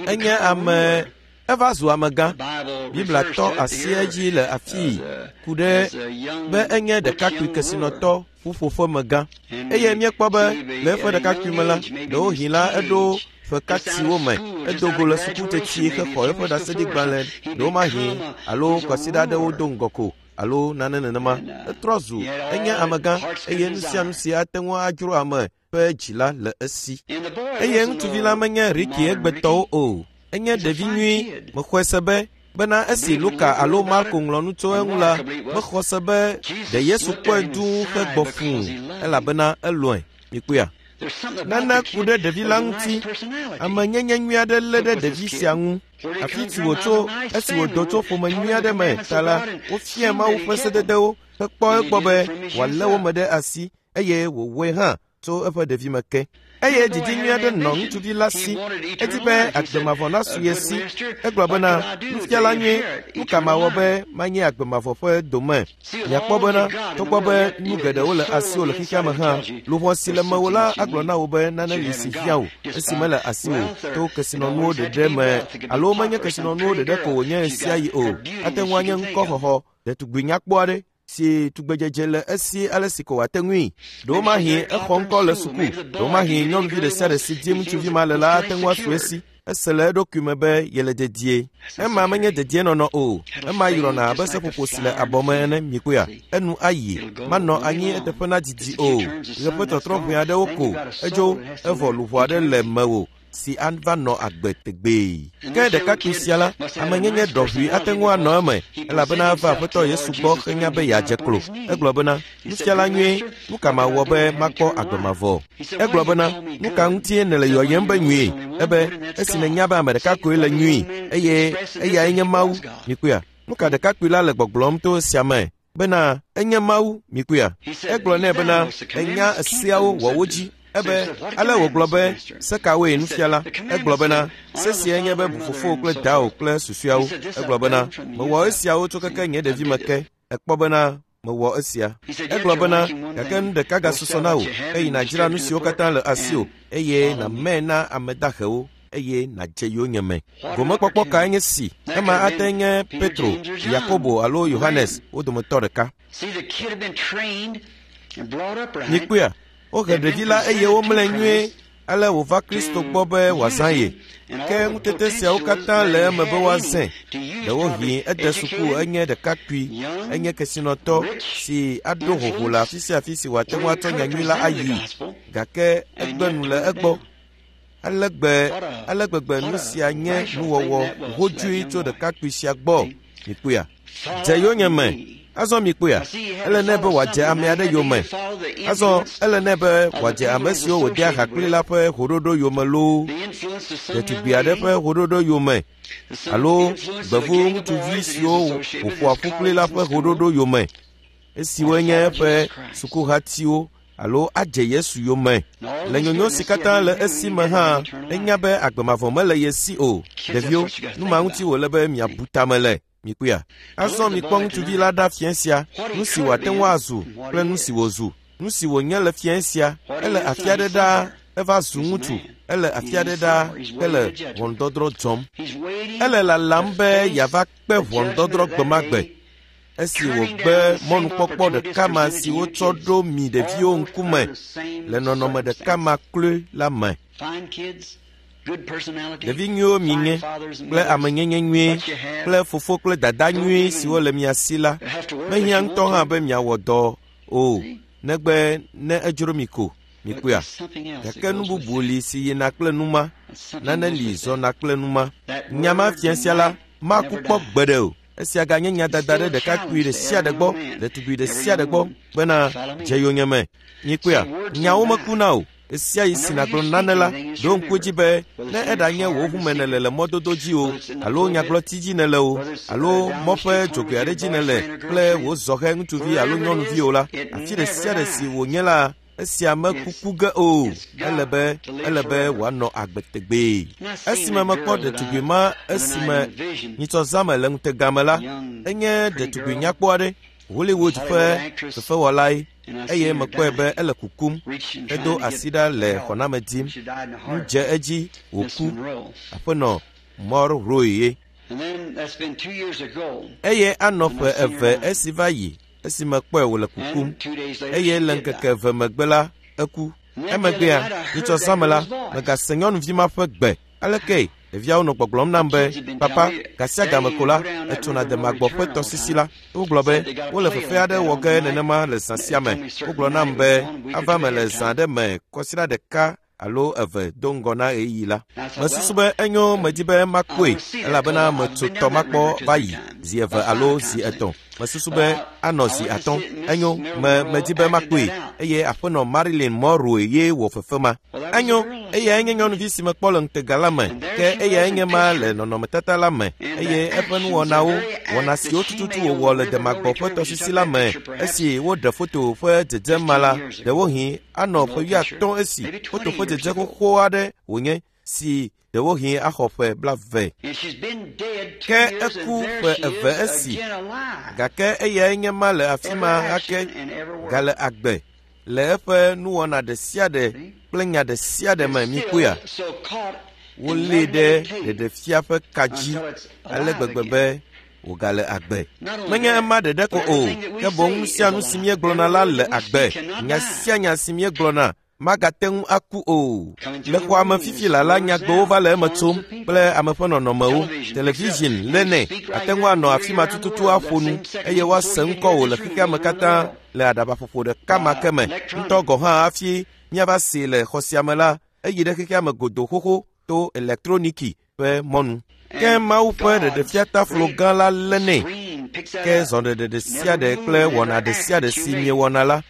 enye ame, eva zu amegã. Biblia tɔ asi edzi le afii ku ɖe be enye ɖekakpui kesinɔtɔ ƒuƒoƒemegã. Eye míekpɔ be le eƒe ɖekakpui me la, ɖewohĩ la eɖo ƒe katiwo me, edo go le suku teti hexɔ eƒe ɖaseɖigbalẽ ɖewomahi alo kwasiɖa aɖewo do ŋgɔ ko alo nane nenema. Etrɔ zu enye amegã eye nu sia nu si ate ŋu adzro ame ƒe dzi la le esi. Eye ŋutsuvi la menye Riki egbetɔwo o. Enye ɖevi nyui. Mexɔe se be bena esi Luka alo Marko ŋlɔ nu tso eŋu la, mexɔ se be ɖe Yesu kpɔe dũu hegbɔ fũu elabena elɔ̃e. Mikpɔea? Nane ku ɖe ɖevi la ŋuti. Amenyenye nyui aɖe lé ɖe ɖevi sia ŋu. Afi si wòtso, esi wòdo tso ƒome nyui aɖe me ta la, wofiae Mawu ƒe sededewo hekpɔ egbɔ be wòalé wo me ɖe asi eye wòwɔe hã tso eƒe ɖevime ke. Eye didi nyui aɖe nɔ ŋutsuvi la si. Edi be agbe mavɔ nasu ye si. Egblɔ bena, nufiala nyui, nu ka mawɔ be manye agbe mavɔ ƒe dome? Miakpɔ bena, togbɔ be nu geɖewo le asiwò le xexea me hã, luʋɔ si le mewò la agblɔ na wò be nane li si hiã wò esi mele asiwò to kesinɔnuwo ɖeɖe me alo menye kesinɔnuwo ɖeɖe ko wònye ɣesiaɣi o. Ate ŋu anye ŋkɔxɔxɔ, ɖetugbui nyakpɔ aɖe si tugbedzedze le esi ale si ko wòate ŋui. Ɖewomahi exɔ ŋkɔ le suku, ɖewomahi nyɔnuvi ɖe sia ɖe si dim ŋutsuvi ma le la ate ŋu asu esi. Ese le eɖokui me be yele dedie. Ema menye dedienɔnɔ o. Ema yrɔna abe seƒoƒo si le abɔ me ene, mikpɔea? Enu ayi, manɔ anyi eteƒe na didi o. Ɣe ƒe tɔtrɔ ʋɛ aɖewo ko, edzo, evɔ luʋɔ aɖe le mewò si ava nɔ agbe tegbee. Ke ɖekakpui sia la, amenyenye ɖɔʋui ate ŋu anɔ eme, elabena eva Aƒetɔ Yesu gbɔ henya be yeadze klo. Egblɔ bena, nufiala nyui, nu ka mawɔ be makpɔ agbe mavɔ? Egblɔ bena, nu ka ŋutie nèle yɔyem be nyui? Ebe, esi nènya be ame ɖeka koe le nyui, eye eyae nye Mawu. Mikpɔea? Nu ka ɖekakpui la le gbɔgblɔm to esia me? Bena, enye Mawu, mikpɔea? Egblɔ nɛ bena, enya seawo wɔ wo dzi. Ebe, ale wògblɔ be, se kawoe nufiala? Egblɔ bena, se siae nye be bu fofowò kple dawò kple susɔeawo. Egblɔ bena, mewɔ esiawo tso keke nye ɖevime ke. Ekpɔ bena, mewɔ esia. Egblɔ bena, gake nu ɖeka gasusɔ na wò, eye nàdzra nu siwo katã le asiwò, eye nàmee na ame dahewo, eye nàdze yonyeme. Gomekpɔkpɔ kae nye si? Ema ate nye Petro, Yakobo alo Yohanes, wo dometɔ ɖeka. Mikpɔea? Wohe ɖevi la eye womlɔe nyuie. Ale wòva Kristo gbɔ be wòazã ye. Ke ŋutete siawo katã le eme be woazãe. Ɖewohĩ ede suku enye ɖekakpui, enye kesinɔtɔ si aɖo hoho le afi sia afi si wòate ŋu atsɔ nyanyui la ayii, gake egbe nu le egbɔ. Ale gbegbe nu sia nye nuwɔwɔ hodzoe tso ɖekakpui sia gbɔ. Mikpɔea? Dze yonyeme. Azɔ mikpɔea? Ele nɛ be wòadze ame aɖe yome. Azɔ ele nɛ be wòadze ame siwo wòdea ha kpli la ƒe hoɖoɖo yome loo, ɖetugbi aɖe ƒe hoɖoɖo yome, alo gbevu ŋutsuvi siwo wòƒoa ƒu kpli la ƒe hoɖoɖo yome, esiwo nye eƒe sukuhatiwo, alo adze Yesu yome. Le nyonyo si katã le esi me hã, enya be agbe mavɔ mele ye si o. Ɖeviwo, nu ma ŋuti wòle be miabu tame le. Mikpɔea? Azɔ mikpɔ ŋutsuvi la ɖa fiẽ sia, nu si wòate ŋu azu kple nu si wòzu. Nu si wònye le fiẽ sia, ele afi aɖe ɖaa, eva zu ŋutsu, ele afi aɖe ɖaa hele ʋɔnudɔdrɔ̃ dzɔm. Ele lalam be yeava kpe ʋɔnudɔdrɔ̃ gbe ma gbe. Esi wògbe mɔnukpɔkpɔ ɖeka ma si wotsɔ ɖo mi ɖeviwo ŋkume le nɔnɔme ɖeka ma kloe la me. Ɖevi nyuiwo mienye kple amenyenye nyuie kple fofo kple dada nyuie siwo le mia si la, mehiã ŋutɔ hã be miawɔ dɔ o, negbe ne edzro mi ko. Mikpɔea? Gake nu bubu li si yina kple nu ma, nane li zɔna kple nu ma. Nya ma fia sia la maku kpɔ gbeɖe o. Esia ganye nya dada ɖe ɖekakpui ɖe sia ɖe gbɔ, ɖetugbi ɖe sia ɖe gbɔ bena dze yonyeme. Mikpɔea? Nyawo mekuna o. Esia yi si nàgblɔ nane la, ɖo ŋku edzi be ne eɖanye wò ʋume nèle le mɔdodo dzi o, alo nyagblɔti dzi nèle o, alo mɔ ƒe dzogoe aɖe dzi nèle kple wò zɔhɛ ŋutsuvi alo nyɔnuvi o la, afi ɖe sia ɖe si wònye la, esia mekuku ge o. Ele be wòanɔ agbe tegbee. Esime mekpɔ ɖetugbi ma esime nyitsɔzãme le ŋutega me la, enye ɖetugbi nyakpɔ aɖe, Hollywood ƒe fefewɔlae, eye mekpɔe be ele kukum, edo asi ɖa le xɔname dim. Nu dze edzi wòku. Aƒenɔ Monroe ye. Eye anɔ ƒe eve esi va yi esi mekpɔe wòle kukum, eye le ŋkeke eve megbe la, eku. Emegbea, nyitsɔzãme la, megase nyɔnuvi ma ƒe gbe. Aleke ɖeviawo nɔ gbɔgblɔm nam be, papa, gasia game ko la, etsona demagbɔ ƒe tɔsisi la. Wogblɔ be wole fefe aɖe wɔ ge nenema le zã sia me. Wogblɔ nam be ava me le zã aɖe me kɔsiɖa ɖeka alo eve do ŋgɔ na ɣeyiɣi la. Mesusu be enyo medi be makpɔe elabena metso tɔ makpɔ va yi zi eve alo zi etɔ̃. Mesusu be anɔ zi atɔ̃. Enyo medi be makpɔe eye aƒenɔ Marilyn Monroe ye wɔ fefe ma. Enyo, eyae nye nyɔnuvi si mekpɔ le ŋutega la me, ke eyae nye ma le nɔnɔmetata la me, eye eƒe nuwɔnawo, wɔna siwo tututu wòwɔ le demagbɔ ƒe tɔsisi la me esi woɖe foto ƒe dzedze ma la, ɖewohĩ anɔ ƒe 50 esi foto ƒe dzedze xoxo aɖe wònye si ɖewohĩ axɔ ƒe 20. Ke eku ƒe eve esi, gake eyae nye ma le afi ma ake gale agbe le eƒe nuwɔna ɖe sia ɖe kple nya ɖe sia ɖe me. Mikpɔea? Wolée ɖe ɖeɖefia ƒe ka dzi ale gbegbe be wògale agbe. Menye ema ɖeɖe ko o, ke boŋ nu sia nu si míegblɔna la le agbe. Nya sia nya si míegblɔna magate ŋu aku o. Le xɔa me fifi la la, nyagbewo va le eme tsom kple ame ƒe nɔnɔmewo. Television lé nɛ, ate ŋu anɔ afi ma tututu aƒo nu eye woase ŋkɔwò le xexea me katã le aɖabaƒoƒo ɖeka ma ke me. Ŋutɔ gɔ̃ hã hafi míava see le xɔ sia me la, eyi ɖe xexea me godoo xoxo to elektroniki ƒe mɔnu. Ke Mawu ƒe ɖeɖefiataflo gã la lé nɛ. Ke zɔɖeɖe ɖe sia ɖe kple wɔna ɖe sia ɖe si miewɔna la,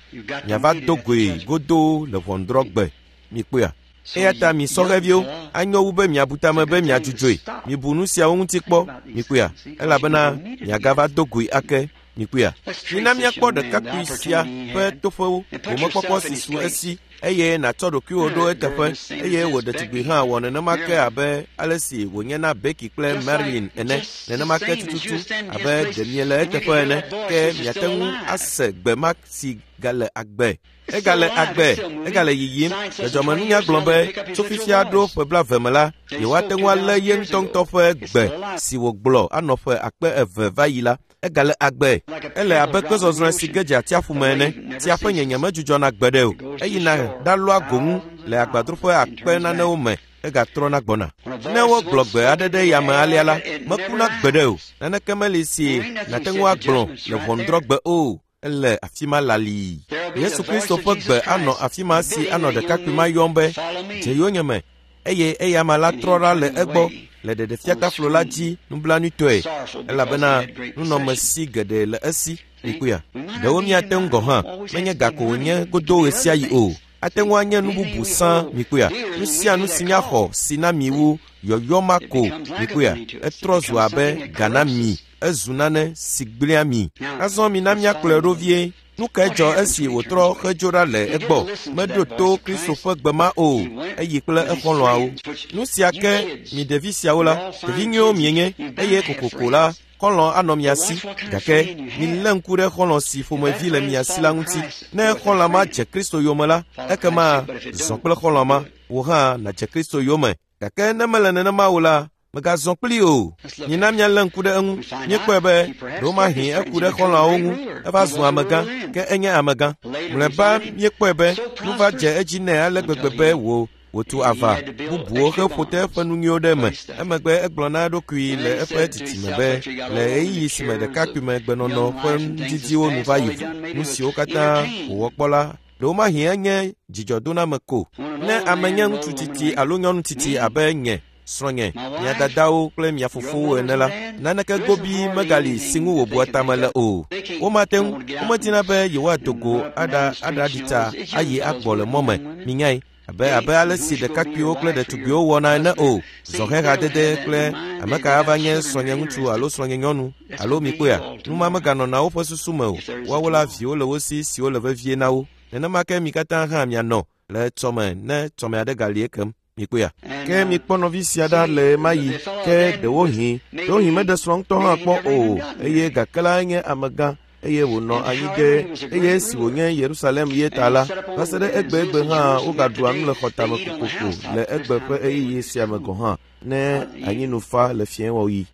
miava do goe godoo le ʋɔnudrɔ̃gbe. Mikpɔea? Eya ta mi sɔhɛviwo, anyo wu be miabu tame be miadzudzɔe. Mibu nu siawo ŋuti kpɔ. Mikpɔea? Elabena miagava do goe ake. Mikpɔea? Mina míakpɔ ɖekakpui sia ƒe toƒewo, gomekpɔkpɔ si su esi, eye nàtsɔ ɖokuiwò ɖo eteƒe, eye wò ɖetugbi hã wɔ nenema ke abe ale si wònye na Becky kple Marilyn ene, nenema ke tututu abe ɖe miele eteƒe ene, ke miate ŋu ase gbe ma si gale agbe. Egale agbe, egale yiyim. Dzɔdzɔmenunya gblɔ be tso fifia ɖo ƒe 20 me la, yewoate ŋu alé ye ŋutɔŋutɔ ƒe gbe si wògblɔ anɔ ƒe 2000 va yi la. Egale agbe. Ele abe kpezɔzrɔ̃e si ge dze atsiaƒu me ene. Tsia ƒe nyenye medzudzɔna gbeɖe o. Eyina ɖalɔa go ŋu. le agbadroƒe akpe nanewo me egatrɔna gbɔna. Ne wogblɔ gbe aɖe ɖe yame alea la, mekuna gbeɖe o. Naneke meli si nàte ŋu agblɔ le ʋɔnudrɔ̃gbe o. Ele afi ma lalii. Yesu Kristo ƒe gbe anɔ afi ma si anɔ ɖekakpui ma yɔm be, “Dze yonyeme,” eye eyama la trɔ ɖa le egbɔ le ɖeɖefiataflo la dzi nublanuitɔe elabena nunɔmesi geɖe le esi. Mikpɔea? Ɖewo míate ŋu gɔ̃ hã menye ga ko wònye godo ɣe sia ɣi o. Ate ŋu anye nu bubu sã. Mikpɔea? Nu sia nu si míaxɔ si na mi wu yɔyɔ ma ko. Mikpɔea? Etrɔ zu abe ga na mi. Ezu nane si gblẽa mi. Azɔ mina míakplɔe ɖo vie. Nu kae dzɔ esi wòtrɔ hedzo ɖa le egbɔ? Meɖo to Kristo ƒe gbe ma o. Eyi kple exɔlɔ̃awo. Nu sia ke mi ɖevi siawo la, ɖevi nyuiwo mienye eye kokoko la, xɔlɔ̃ anɔ mia si. Gake milé ŋku ɖe xɔlɔ̃ si ƒomevi le mia si la ŋuti. Ne xɔlɔ̃ ma dze Kristo yome la, ekema zɔ kple xɔlɔ̃ ma. Wò hã nàdze Kristo yome. Gake ne mele nenema o la, mègazɔ kplii o. Mina míalé ŋku ɖe eŋu. Míekpɔe be ɖewomahi eku ɖe xɔlɔ̃awo ŋu. Eva zu amegã, ke enye amegã. Mlɔeba míekpɔe be nu va dze edzi nɛ ale gbegbe be wò wòtu ava bubuwo heƒo te eƒe nu nyuiwo ɖe eme. Emegbe egblɔ na eɖokui le eƒe tsitsime be le ɣeyiɣi si me ɖekakpuimegbenɔnɔ ƒe nudidiwo nu va yi vɔ, nu siwo katã wòwɔ kpɔ la, ɖewomahi enye dzidzɔdoname ko. Ne ame nye ŋutsu tsitsi alo nyɔnu tsitsi abe nye, srɔ̃nye, mia dadawo kple mia fofowo ene la, naneke gobii megali si ŋu wòbua tame le o. Womate ŋu, womedina be yewoado go aɖa aɖaɖi tsa ayi agbɔ le mɔ me. Minyae, abe abe ale si ɖekakpuiwo kple ɖetugbiwo wɔna ene o. Zɔhɛhadede kple ame ka ava nye srɔ̃nye ŋutsu alo srɔ̃nye nyɔnu alo mikpɔea, nu ma meganɔna woƒe susu me o. Woawo la viwo le wo si siwo le vevie na wo. Nenema ke mi katã hã mianɔ le etsɔme ne tsɔme aɖe gali ekem. Mikpɔea? Ke mikpɔ nɔvi sia ɖa le ɣe ma ɣi. Ke ɖewohĩ, ɖewohĩ meɖe srɔ̃ ŋutɔ hã kpɔ o eye gake la enye amegã eye wònɔ anyi ɖe eye esi wònye Yerusalem ye ta la, va se ɖe egbegbe hã wogaɖua nu le xɔtame kokoko le egbe ƒe ɣeyiɣi sia me gɔ̃ hã ne anyinu fa le fiẽwɔɣi.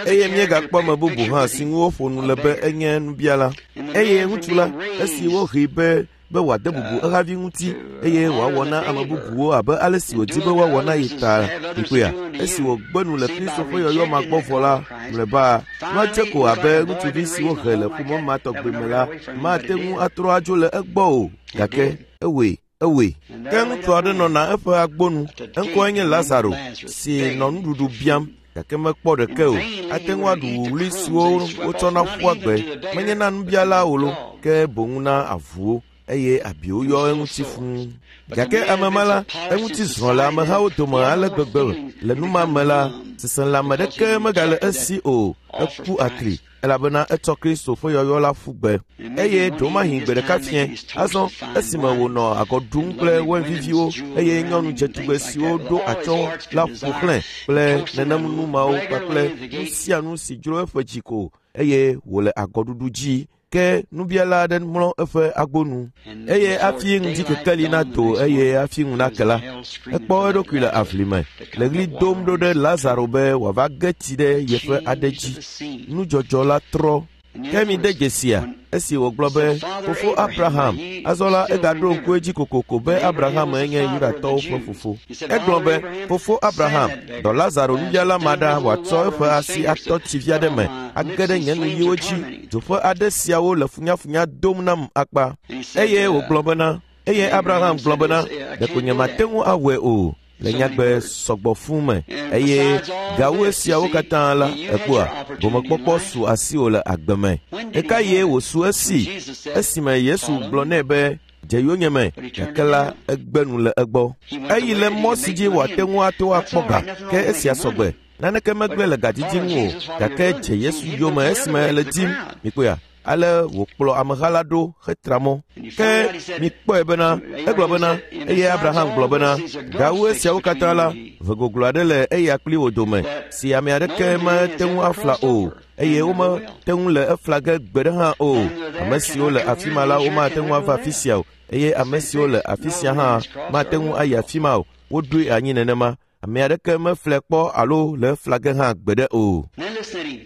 Eye míegakpɔ ame bubu hã si ŋu woƒo nu le be enye nubiala. Eye ŋutsu la, esi wohee be be wòade bubu ehavi ŋuti eye wòawɔ na ame bubuwo abe ale si wòdi be woawɔ na ye ta. Mikpɔea? Esi wògbe nu le Kristo ƒe yɔyɔ ma gbɔ vɔ la, mlɔeba, nua dze ko abe ŋutsuvi si wohe le ƒome ma tɔgbi me la mate ŋu atrɔ adzo le egbɔ o. Gake ewɔe. Ewɔe. Ke ŋutsu aɖe nɔna eƒe agbonu. Eŋkɔe nye Lazaro, si nɔ nuɖuɖu biam gake mekpɔ ɖeke o. Ate ŋu aɖu wuwlui siwo wotsɔna ƒua gbe, menye na nubiala o lo, ke boŋ na avuwo, eye abiwo yɔ eŋuti fũu. Gake ame ma la, eŋuti zrɔ̃ le amehawo dome ale gbegbe le nu ma me la, seselãme ɖeke megale esi o. Eku atri elabena etsɔ Kristo ƒe yɔyɔ la ƒu gbe. Eye ɖewomahi gbe ɖeka fiẽ, azɔ esime wònɔ agɔ ɖum kple wain viviwo eye nyɔnu dzetugbe siwo ɖo atsyɔ̃ la ƒo xlãe kple nenem nu mawo kpakple nu sia nu si dzro eƒe dzi ko eye wòle agɔɖuɖu dzi. Ke nubiala aɖe mlɔ eƒe agbonu eye hafi ŋdi kekeli nado eye hafi ŋu nake la, ekpɔ eɖokui le aʋli me le ɣli dom ɖo ɖe Lazaro be wòava ge tsi ɖe yeƒe aɖe dzi. Nudzɔdzɔ la trɔ. Ke mide dzesia esi wògblɔ be, “Fofo Abraham.” Azɔ la egaɖo ŋku edzi kokoko be Abraham nye Yudatɔwo ƒe fofo. Egblɔ be, “Fofo Abraham, dɔ Lazaro nubiala ma ɖa wòatsɔ eƒe asi atɔ tsi vi aɖe me age ɖe nye nuyiwo dzi. Dzo ƒe aɖe siawo le funyafunya dom nam akpa.” Eye wògblɔ bena, eye Abraham gblɔ bena, “Ɖeko nyemate ŋu awɔe o.” Le nyagbe sɔgbɔ fũu me eye gawu esiawo katã la, èkpɔa, gomekpɔkpɔ su asiwò le agbe me. Ɣekaɣie wòsu esi? Esime Yesu gblɔ nɛ be, “Dze yonyeme,” gake la, egbe nu le egbɔ. Eyi le mɔ si dzi wòate ŋu ato akpɔ ga, ke esia sɔgbe. Naneke megblẽ le gadidi ŋu o, gake dze Yesu yome esime ele dim. Mikpɔea? Ale wòkplɔ ameha la ɖo hetra mɔ. Ke mikpɔe bena, egblɔ bena, eye Abraham gblɔ bena, gawu esiawo katã la, ʋe goglo aɖe le eya kpli wò dome, si ame aɖeke mete ŋu afla o, eye womete ŋu le efla ge gbeɖe hã o. Ame siwo le afi ma la, womate ŋu ava afi sia o, eye ame siwo le afi sia hã mate ŋu ayi afi ma o. Woɖoe anyi nenema. Ame aɖeke meflae kpɔ alo le efla ge hã gbeɖe o. Then listen to him.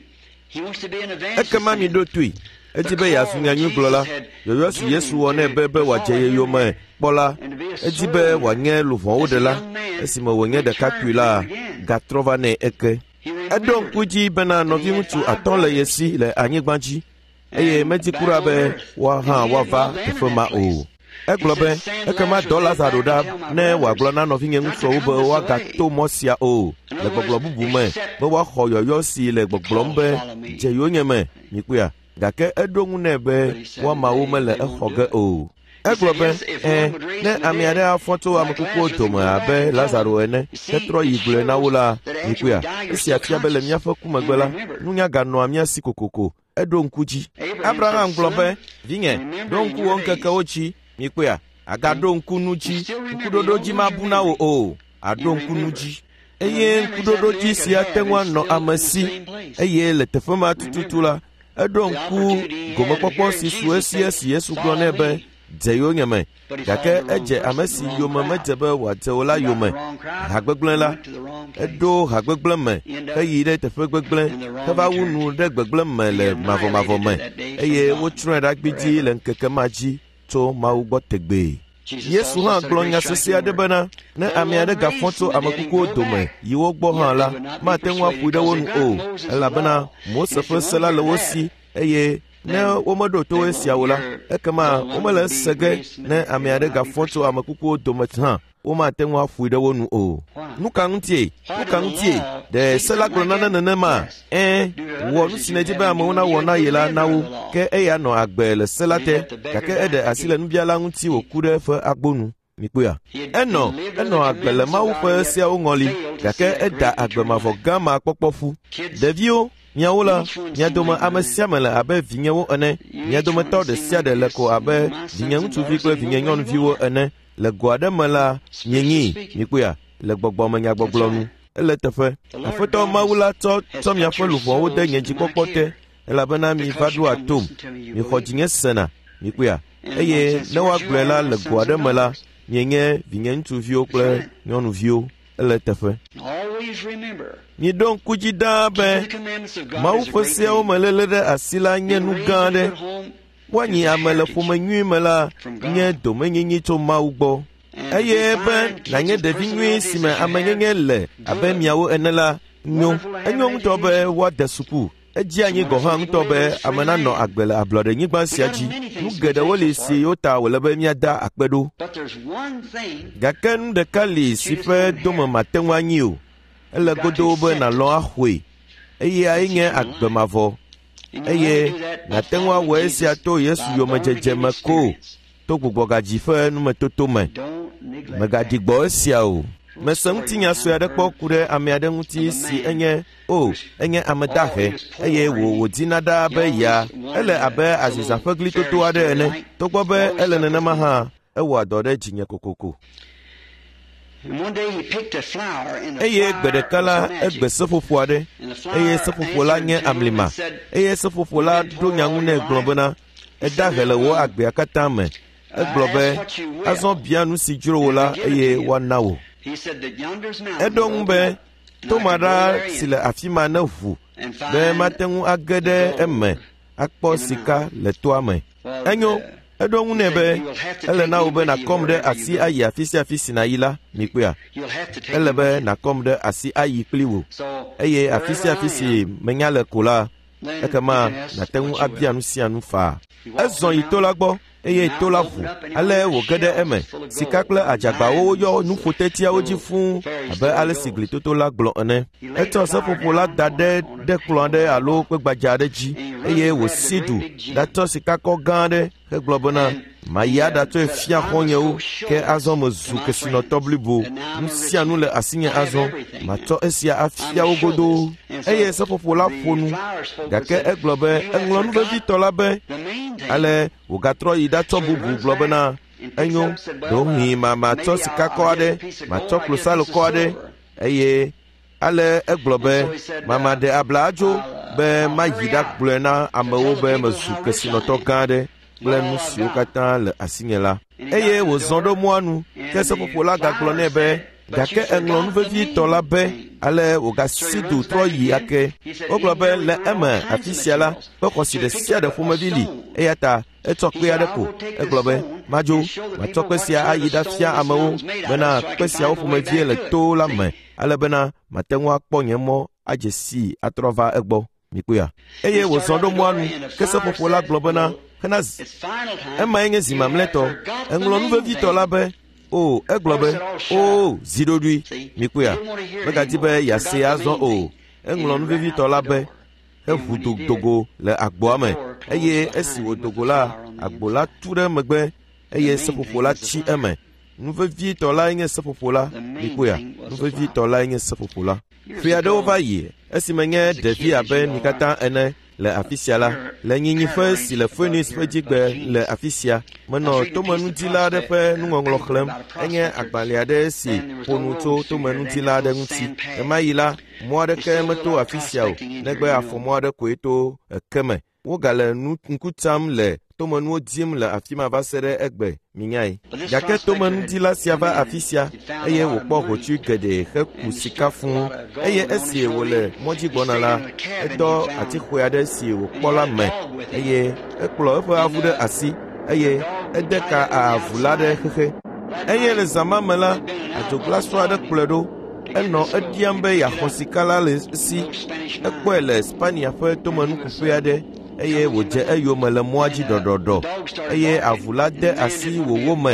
He wants to be an evangelist. Ekema miɖo toe. Edzi be yeazu nyanyuigblɔla. Yɔyɔ si Yesu wɔ nɛ be be wòadze ye yome kpɔ la, edzi be wòanye luʋɔwo ɖela. Esime wònye ɖekakpui la, gatrɔ va nɛ eke. Eɖo ŋku dzi bena nɔviŋutsu 5 le ye si le anyigba dzi eye medzi kura be woa hã woava teƒe ma o. Egblɔ be, ekema dɔ Lazaro ɖa ne wòagblɔ na nɔvinye ŋutsuawo be woagato mɔ sia o, le gbɔgblɔ bubu me, be woaxɔ yɔyɔ si le gbɔgblɔm be dze yonyeme, mikpɔea. Gake eɖo ŋu nɛ be woamawo mele exɔ ge o. Egblɔ be, ẽ, ne ame aɖe afɔ tso ame kukuwo dome abe Lazaro ene hetrɔ yi gblɔe na wo la, mikpɔea, esia fia be le míaƒe ku megbe la, nunya ganɔa mía si kokoko. Eɖo ŋku dzi. Abraham gblɔ be, vinye, ɖo ŋku wò ŋkekewo dzi, mikpɔea, agaɖo ŋku nu dzi, ŋkuɖoɖo dzi mabu na wò o, aɖo ŋku nu dzi. Eye ŋkuɖoɖo dzi sia te ŋu anɔ ame si, eye le teƒe ma tututu la, eɖo ŋku gomekpɔkpɔ si su esi esi Yesu gblɔ nɛ be, dze yonyeme. Gake edze ame si yome medze be wòadze o la yome. Hagbegblẽ la, eɖo hagbegblẽ me heyi ɖe teƒe gbegblẽ heva wu nu ɖe gbegblẽ me le mavɔmavɔ me eye wotsrɔ̃e ɖa gbidzi le ŋkeke ma dzi tso Mawu gbɔ tegbee. Yesu hã gblɔ nya sesẽ aɖe bena, ne ame aɖe gafɔ tso ame kukuwo dome yi wo gbɔ hã la, mate ŋu aƒoe ɖe wo nu o, elabena Mose ƒe se la le wo si eye ne womeɖo to esia o la, ekema womele ese ge ne ame aɖe gafɔ tso ame kukuwo dome hã, womate ŋu aƒoe ɖe wo nu o. Nu ka ŋutie? Nu ka ŋutie? Ɖe se la gblɔ nane nenema? Ẽ, wɔ nu si nèdi be amewo nawɔ na ye la na wo, ke eya nɔ agbe le se la te, gake eɖe asi le nubiala ŋuti wòku ɖe eƒe agbo nu. Mikpɔea? Enɔ agbe le Mawu ƒe seawo ŋɔli, gake eda agbe mavɔ gã ma kpɔkpɔ ƒu. Ɖeviwo, miawo la, mia dome ame sia ame le abe vinyewo ene. Mia dometɔ ɖe sia ɖe le ko abe vinye ŋutsuvi kple vinye nyɔnuviwo ene. Le go aɖe me la, mienyi, mikpɔea, le gbɔgbɔme nyagbɔgblɔ nu. Ele teƒe. Aƒetɔ Mawu la tsɔ miaƒe luʋɔwo de nye dzikpɔkpɔ te, elabena mi va ɖoa tom, mixɔ dzinye sena, mikpɔea. Eye ne woagblɔe la le go aɖe me la, mienye vinye ŋutsuviwo kple nyɔnuviwo. Ele teƒe. Miɖo ŋku dzi ɖaa be Mawu ƒe seawo me léle ɖe asi la nye nu gã aɖe. Woanyi ame le ƒome nyui me la nye domenyinyi tso Mawu gbɔ. Eye be nànye ɖevi nyui si me amenyenye le abe miawo ene la nyo. Enyo ŋutɔ be woade suku. Edzi anyi gɔ̃ hã ŋutɔ be ame nanɔ agbe le ablɔɖenyigba sia dzi. Nu geɖewo li si wota wòle be míada akpe ɖo. Gake nu ɖeka li si ƒe dome mate ŋu anyi o. Ele godoo be nàlɔ̃ axɔe. Eyae nye agbe mavɔ. Eye nàte ŋu awɔ esia to Yesu yomedzedze me ko, to gbugbɔgadzi ƒe numetoto me. Mègaɖi gbɔ esia o. Mese ŋutinya sue aɖe kpɔ ku ɖe ame aɖe ŋuti si enye o, enye ame dahe eye wòdina ɖaa be ya ele abe aziza ƒe glitoto aɖe ene. Togbɔ be ele nenema hã, ewɔa dɔ ɖe dzinye kokoko. Eye gbe ɖeka la, egbe seƒoƒo aɖe, eye seƒoƒo la nye amlima. Eye seƒoƒo la ɖo nya ŋu nɛ gblɔ bena, eda he le wò agbea katã me. Egblɔ be, azɔ bia nu si dzro wò la eye woana wò. Eɖo ŋu be, toma ɖa si le afi ma ne ʋu be mate ŋu age ɖe eme akpɔ sika le toa me. Enyo, eɖo ŋu nɛ be, ele na wò be nàkɔm ɖe asi ayi afi sia afi si nàyi la, mikpɔea. Ele be nàkɔm ɖe asi ayi kpli wò. Eye afi sia afi si menya le ko la, ekema nàte ŋu abia nu sia nu faa. Ezɔ yi to la gbɔ eye to la ʋu. Ale wòge ɖe eme. Sika kple adzagbawo yɔ nuƒotetiawo dzi fũu abe ale si glitoto la gblɔ ene. Etsɔ seƒoƒo la da ɖe ɖe kplɔ̃ aɖe alo kpe gbadza aɖe dzi eye wòsi du ɖatsɔ sikakɔ gã aɖe hegblɔ bena, mayi aɖatsɔe fia xɔ̃nyewo, ke azɔ mezu kesinɔtɔ blibo. Nu sia nu le asinye azɔ, matsɔ esia afia wo godoo. Eye seƒoƒo la ƒo nu, gake egblɔ be eŋlɔ nu vevitɔ la be. Ale wògatrɔ yi ɖatsɔ bubu gblɔ bena, enyo, ɖewohĩ matsɔ sikakɔ aɖe, matsɔ klosalokɔ aɖe. Eye ale egblɔ be, mama ɖe abla adzo be mayi ɖagblɔe na amewo be mezu kesinɔtɔ gã aɖe kple nu siwo katã le asinye la. Eye wòzɔ ɖo mɔa nu, ke seƒoƒo la gagblɔ nɛ be, Gake eŋlɔ nu vevitɔ la be ale wògasi du trɔ yi ake. Wogblɔ be le eme afi sia la, kpe xɔasi ɖe sia ɖe ƒomevi li eya ta etsɔ kpe aɖe ko. Egblɔ be, madzo, matsɔ kpe sia ayi ɖafia amewo bena kpe siawo ƒomevie le to la me ale bena mate ŋu akpɔ nye mɔ adze sii atrɔ va egbɔ. Mikpɔea? Eye wòzɔ ɖo mɔa nu ke seƒoƒo la gblɔ bena hena emae nye zi mamlɛtɔ. Eŋlɔ nu vevitɔ la be o egblɔ be o zi ɖoɖoe. Mikpɔea? Megadi be yeasee azɔ o. Eŋlɔ nu vevitɔ la be heʋu dogo le agboa me eye esi wòdo go la, agbo la tu ɖe megbe eye seƒoƒo la tsi eme. Nu vevitɔ lae nye seƒoƒo la. Mikpɔea? Nu vevitɔ lae nye seƒoƒo la. Ƒe aɖewo va yi esime nye ɖevi abe mi katã ene le afi sia la, le nyinyiƒe si le Phoenix ƒe dzigbe le afi sia, menɔ tomenudila aɖe ƒe nuŋɔŋlɔ xlẽm. Enye agbalẽ aɖe si ƒo nu tso tomenudila aɖe ŋuti. Ɣemaɣi la, mɔ aɖeke meto afi sia o, negbe afɔmɔ aɖe koe to eke me. Wogale ŋku tsam le tomenuwo dim le afi ma va se ɖe egbe, minyae. Gake tomenudila sia va afi sia eye wòkpɔ hotsui geɖe heku sika fũu eye esi wòle mɔdzi gbɔna la, edɔ atixɔe aɖe si wòkpɔ la me eye ekplɔ eƒe avu ɖe asi eye ede ka avu la ɖe xexe. Eye le zã ma me la, adzoglasɔ aɖe kplɔe ɖo. Enɔ eɖiam be yeaxɔ sika la le esi. Ekpɔe le Spania ƒe tomenukuƒe aɖe eye wòdze eyome le mɔa dzi ɖɔɖɔɖɔ eye avu la de asi wòwò me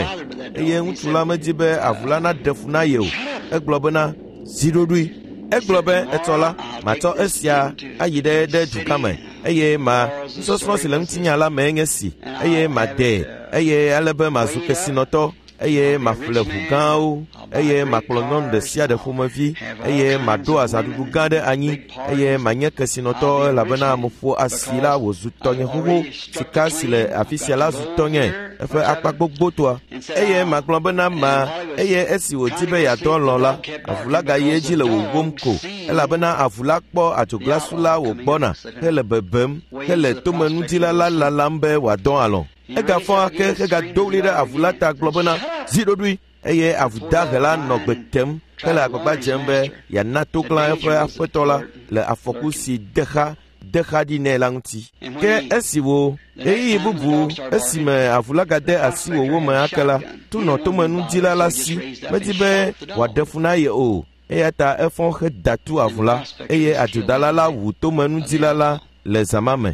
eye ŋutsu la medi be avu la naɖe fu na ye o. Egblɔ bena, zi ɖoɖoe. Egblɔ be, etsɔ la, matsɔ esia ayi ɖe dugã me eye ma nusɔsrɔ̃ si le ŋutinya la mee nye si eye madee eye ale be mazu kesinɔtɔ eye maƒle ʋu gãwo eye makplɔ nyɔnu ɖe sia ɖe ƒomevi eye maɖo azãɖuɖu gã ɖe anyi eye manye kesinɔtɔ elabena meƒo asi la wòzu tɔnye xoxo. Sika si le afi sia la zu tɔnye eƒe akpa gbogbotoa. Eye magblɔ bena ma eye esi wòdi be yeadɔ lɔ̃ la, avu la gayi edzi le wòwom ko elabena avu la kpɔ adzoglasu la wògbɔna hele bebem hele tomenudila la lalam be wòadɔ alɔ̃. Egafɔ ake hegado ɣli ɖe avu la ta gblɔ bena, zi ɖoɖoe. Eye avu dahe la nɔ gbe tem hele agbagba dzem be yeana toglã eƒe aƒetɔ la le afɔku si de xa ɖi nɛ la ŋuti. Ke esi wo ɣeyiɣi bubu esime avu la gade asi wòwò me ake la, tu nɔ tomenudila la si medi be wòaɖe fu na ye o. Eya ta efɔ heda tu avu la eye adzodala la wu tomenudila la le zã ma me.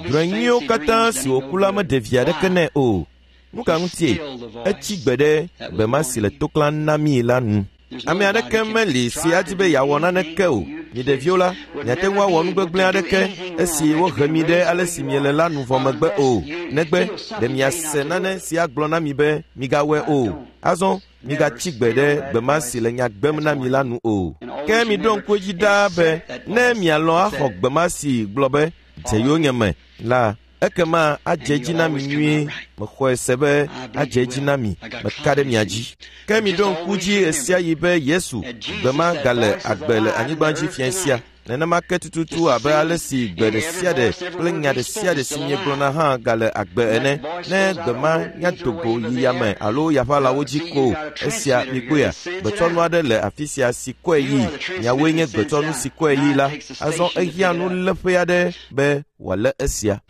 Drɔ̃e nyuiwo katã si wòku la meɖe vi aɖeke nɛ o. Nu ka ŋutie? Etsi gbe ɖe gbe ma si le toklã na mí la nu. Ame aɖeke meli si adi be yeawɔ naneke o. Mi ɖeviwo la, miate ŋu awɔ nu gbegblẽ aɖeke esi wohe mi ɖe ale si miele la nu vɔ megbe o. Negbe ɖe miase nane si agblɔ na mi be migawɔe o. Azɔ migatsi gbe ɖe gbe ma si le nya gbem na mi la nu o. Ke miɖo ŋku edzi ɖaa be ne mialɔ̃ axɔ gbe ma si gblɔ be dze yonyeme la, ekema adze edzi na mi nyuie. Mexɔe se be adze edzi na mi. Meka ɖe mia dzi. Ke miɖo ŋku dzi ɣesiaɣi be Yesu gbe ma gale agbe le anyigba dzi fia sia. Nenema ke tututu abe ale si gbe ɖe sia ɖe kple nya ɖe sia ɖe si miegblɔna hã gale agbe ene. Ne gbe ma nyado go yi yame alo yaʋalawo dzi ko esia mikpɔea, gbetsɔnu aɖe le afi sia si kɔe yi. Miawoe nye gbetsɔnu si kɔe yi la. Azɔ ehiã nuléƒe aɖe be wòalé esia.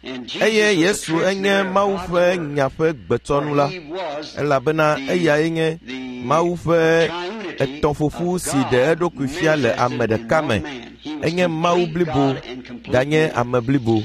Eye Yesu enye Mawu ƒe nya ƒe gbetsɔnu la elabena eyae nye Mawu ƒe etɔ̃ƒoƒu si ɖe eɖokui fia le ame ɖeka me. Enye Mawu blibo ganye ame blibo.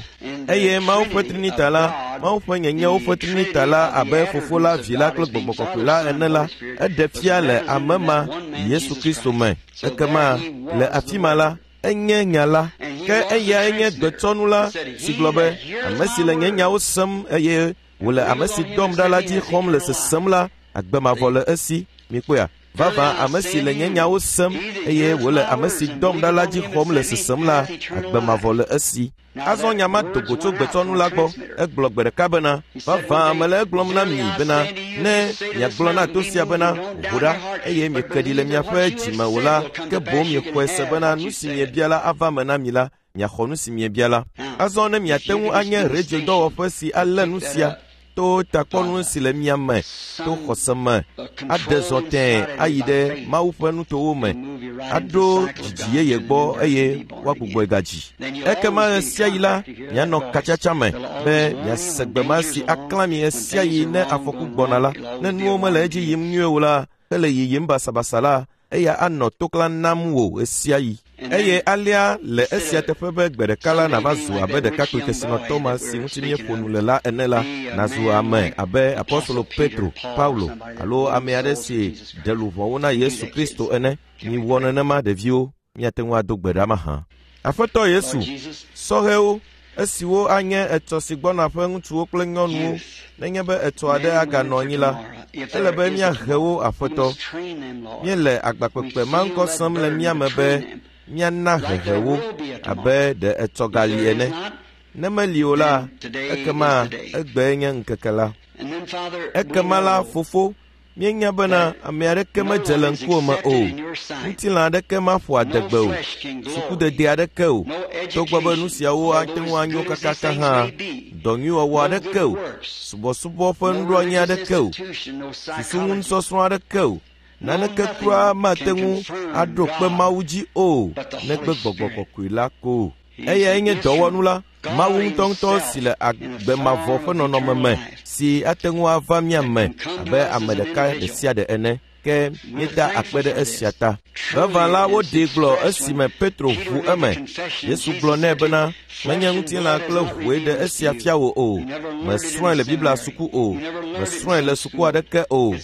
Eye Mawu ƒe Trinita la, Mawu ƒe nyenyewo ƒe Trinita la abe Fofo la, Vi la kple Gbɔgbɔ Kɔkɔe la ene la, eɖe fia le ame ma Yesu Kristo me. Ekema le afi ma la, enye nya la. Ke eyae nye gbetsɔnu la si gblɔ be, ame si le nye nyawo sem eye wòle ame si dɔm ɖa la dzi xɔm le sesem la, agbe mavɔ le esi. Mikpɔea? Vavã ame si le nye nyawo sem eye wòle ame si dɔm ɖa la dzi xɔm le sesem la, agbe mavɔ le esi. Azɔ nya ma do go tso gbetsɔnu la gbɔ. Egblɔ gbe ɖeka bena, vavã mele egblɔm na mi bena, ne miagblɔ na to sia bena, ʋu ɖa, eye mieke ɖi le miaƒe dzime o la, ke boŋ miexɔe se bena nu si miebia la ava me na mi la, miaxɔ nu si miebia la. Azɔ ne miate ŋu anye rediodɔwɔƒe si alé nu sia. To takpɔnu si le mia me to xɔse me aɖe zɔ tẽe ayi ɖe Mawu ƒe nutowo me, aɖo dzidzi yeye gbɔ eye woagbugbɔe gadzi. Ekema ɣesiaɣi la, mianɔ katsatsa me be miase gbe ma si aklã mi ɣesiaɣi ne afɔku gbɔna la. Ne nuwo mele edzi yim nyuie o la, hele yiyim basabasa la, eya anɔ toklã nam wò ɣesiaɣi. Eye alea le esia teƒe be gbe ɖeka la nàva zu abe ɖekakpui kesinɔtɔ ma si ŋuti míeƒo nu le la ene la, nàzu ame abe Apostolo Petro, Paulo alo ame aɖe si ɖe luʋɔwo na Yesu Kristo ene. Miwɔ nenema ɖeviwo, míate ŋu ado gbe ɖa mahã. Aƒetɔ Yesu, sɔhɛwo, esiwo anye etsɔ si gbɔna ƒe ŋutsuwo kple nyɔnuwo, nenye be etsɔ aɖe aganɔ anyi la, ele be míahe wo Aƒetɔ. Míele agbakpekpe ma ŋkɔ sem le mía me be míana hehe wo abe ɖe etsɔ gali ene. Ne meli o la, ekema egbee nye ŋkeke la. Ekema la, Fofo, míenya bena ame aɖeke medze le ŋkuwò me o, ŋutilã aɖeke maƒo adegbe o, sukudede aɖeke o, togbɔ be nu siawo ate ŋu anyo kakaka hã, dɔ nyuiwɔwɔ aɖeke o, subɔsubɔ ƒe nuɖoanyi aɖeke o, susuŋunusɔsrɔ̃ aɖeke o, naneke kura mate ŋu aɖo kpe Mawu dzi o, negbe Gbɔgbɔ Kɔkɔe la ko. Eyae nye dɔwɔnu la, Mawu ŋutɔŋutɔ si le agbe mavɔ ƒe nɔnɔme me si ate ŋu ava mía me abe ame ɖeka ɖe sia ɖe ene. Ke míeda akpe ɖe esia ta. Vavã la, woɖee gblɔ esime Petro ʋu eme. Yesu gblɔ nɛ bena, menye ŋutilã kple ʋue ɖe esia fia wò o. Mesrɔ̃e le Biblia suku o. Mesrɔ̃e le suku aɖeke o.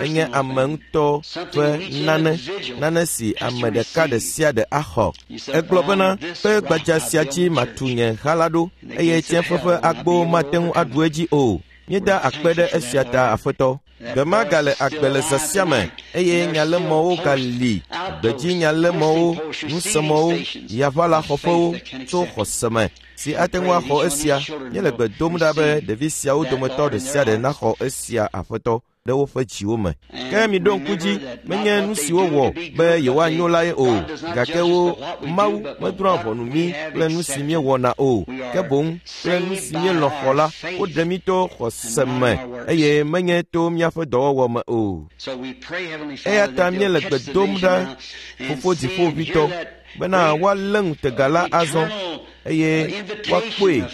Enye ame ŋutɔ ƒe nane, nane si ame ɖeka ɖe sia ɖe axɔ. Egblɔ bena, kpe gbadza sia dzi matu nye ha la ɖo, eye tsiẽƒe ƒe agbowo mate ŋu aɖu edzi o. Míeda akpe ɖe esia ta, Aƒetɔ. Gbe ma gale agbe le zã sia me, eye nyalémɔwo gali, gbedzinyalémɔwo, nusemɔwo, yaʋalaxɔƒewo tso xɔse me si ate ŋu axɔ esia. Míele gbe dom ɖa be ɖevi siawo dometɔ ɖe sia ɖe naxɔ esia, Aƒetɔ, ɖe woƒe dziwo me. Ke miɖo ŋku dzi, menye nu si wowɔ be yewoanyo lae o, gake wo Mawu medrɔ̃a ʋɔnu mí kple nu si míewɔna o, ke boŋ kple nu si míelɔ̃ xɔ la, woɖe mí to xɔse me eye menye to míaƒe dɔwɔwɔ me o. Eya ta míele gbe dom ɖa, Fofo Dziƒoʋĩtɔ, bena woalé ŋutega la azɔ eye woakpɔe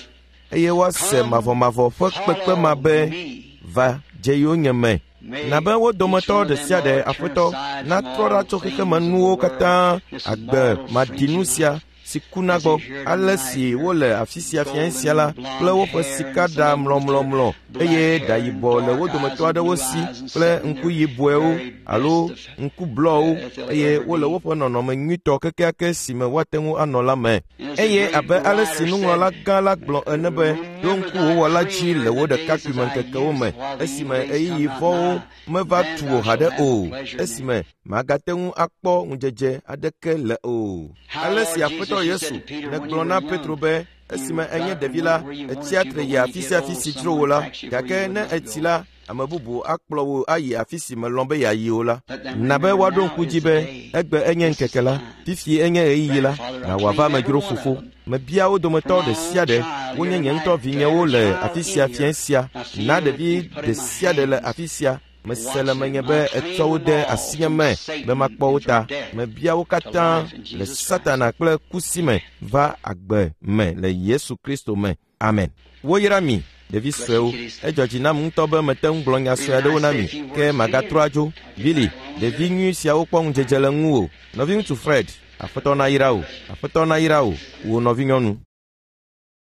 eye woase mavɔmavɔ ƒe kpekpe ma be va dze yonyeme. Na be wo dometɔ ɖe sia ɖe, Aƒetɔ, natrɔ ɖa tso xexemenuwo katã, agbe maɖinu sia si kuna gbɔ, ale si wole afi sia fiẽ sia la kple woƒe sikaɖa mlɔmlɔmlɔ eye ɖa yibɔ le wo dometɔ aɖewo si kple ŋku yibɔewo alo ŋku blɔwo eye wole woƒe nɔnɔme nyuitɔ kekeake si me woate ŋu anɔ la me. Eye abe ale si nuŋlɔla gã la gblɔ ene be, ɖo ŋku wò wɔla dzi le wò ɖekakpuimeŋkekewo me, esime ɣeyiɣi vɔ̃wo meva tu wò haɖe o, esime màgate ŋu akpɔ ŋudzedze aɖeke le o. Ale si Aƒetɔ Yesu nègblɔ na Petro be, esime enye ɖevi la, ètsia tre yia afi sia afi si dzro wò la, gake ne ètsi la, ame bubu akplɔ wò ayi afi si mèlɔ̃ be yeayi o la. Na be woaɖo ŋku dzi be egbe enye ŋkeke la, fifi enye ɣeyiɣi la, na wòava amedzro Fofo. Mebia wo dometɔ ɖe sia ɖe, wonye nye ŋutɔ vinyewo le afi sia fiẽ sia. Na ɖevi ɖe sia ɖe le afi sia. Mese le menye be ètsɔ wo de asinye me be makpɔ wo ta. Mebia wo katã le Satana kple ku si me va agbe me le Yesu Kristo me. Amen. Woyra mi, ɖevi suewo. Edzɔ dzi nam ŋutɔ be mete ŋu gblɔ nya sue aɖewo na mi, ke magatrɔ adzo. Billy, ɖevi nyui siawo kpɔ ŋudzedze le ŋuwò. Nɔviŋutsu Fred, Aƒetɔ nayra wò. Aƒetɔ nayra wò, wò nɔvinyɔnu.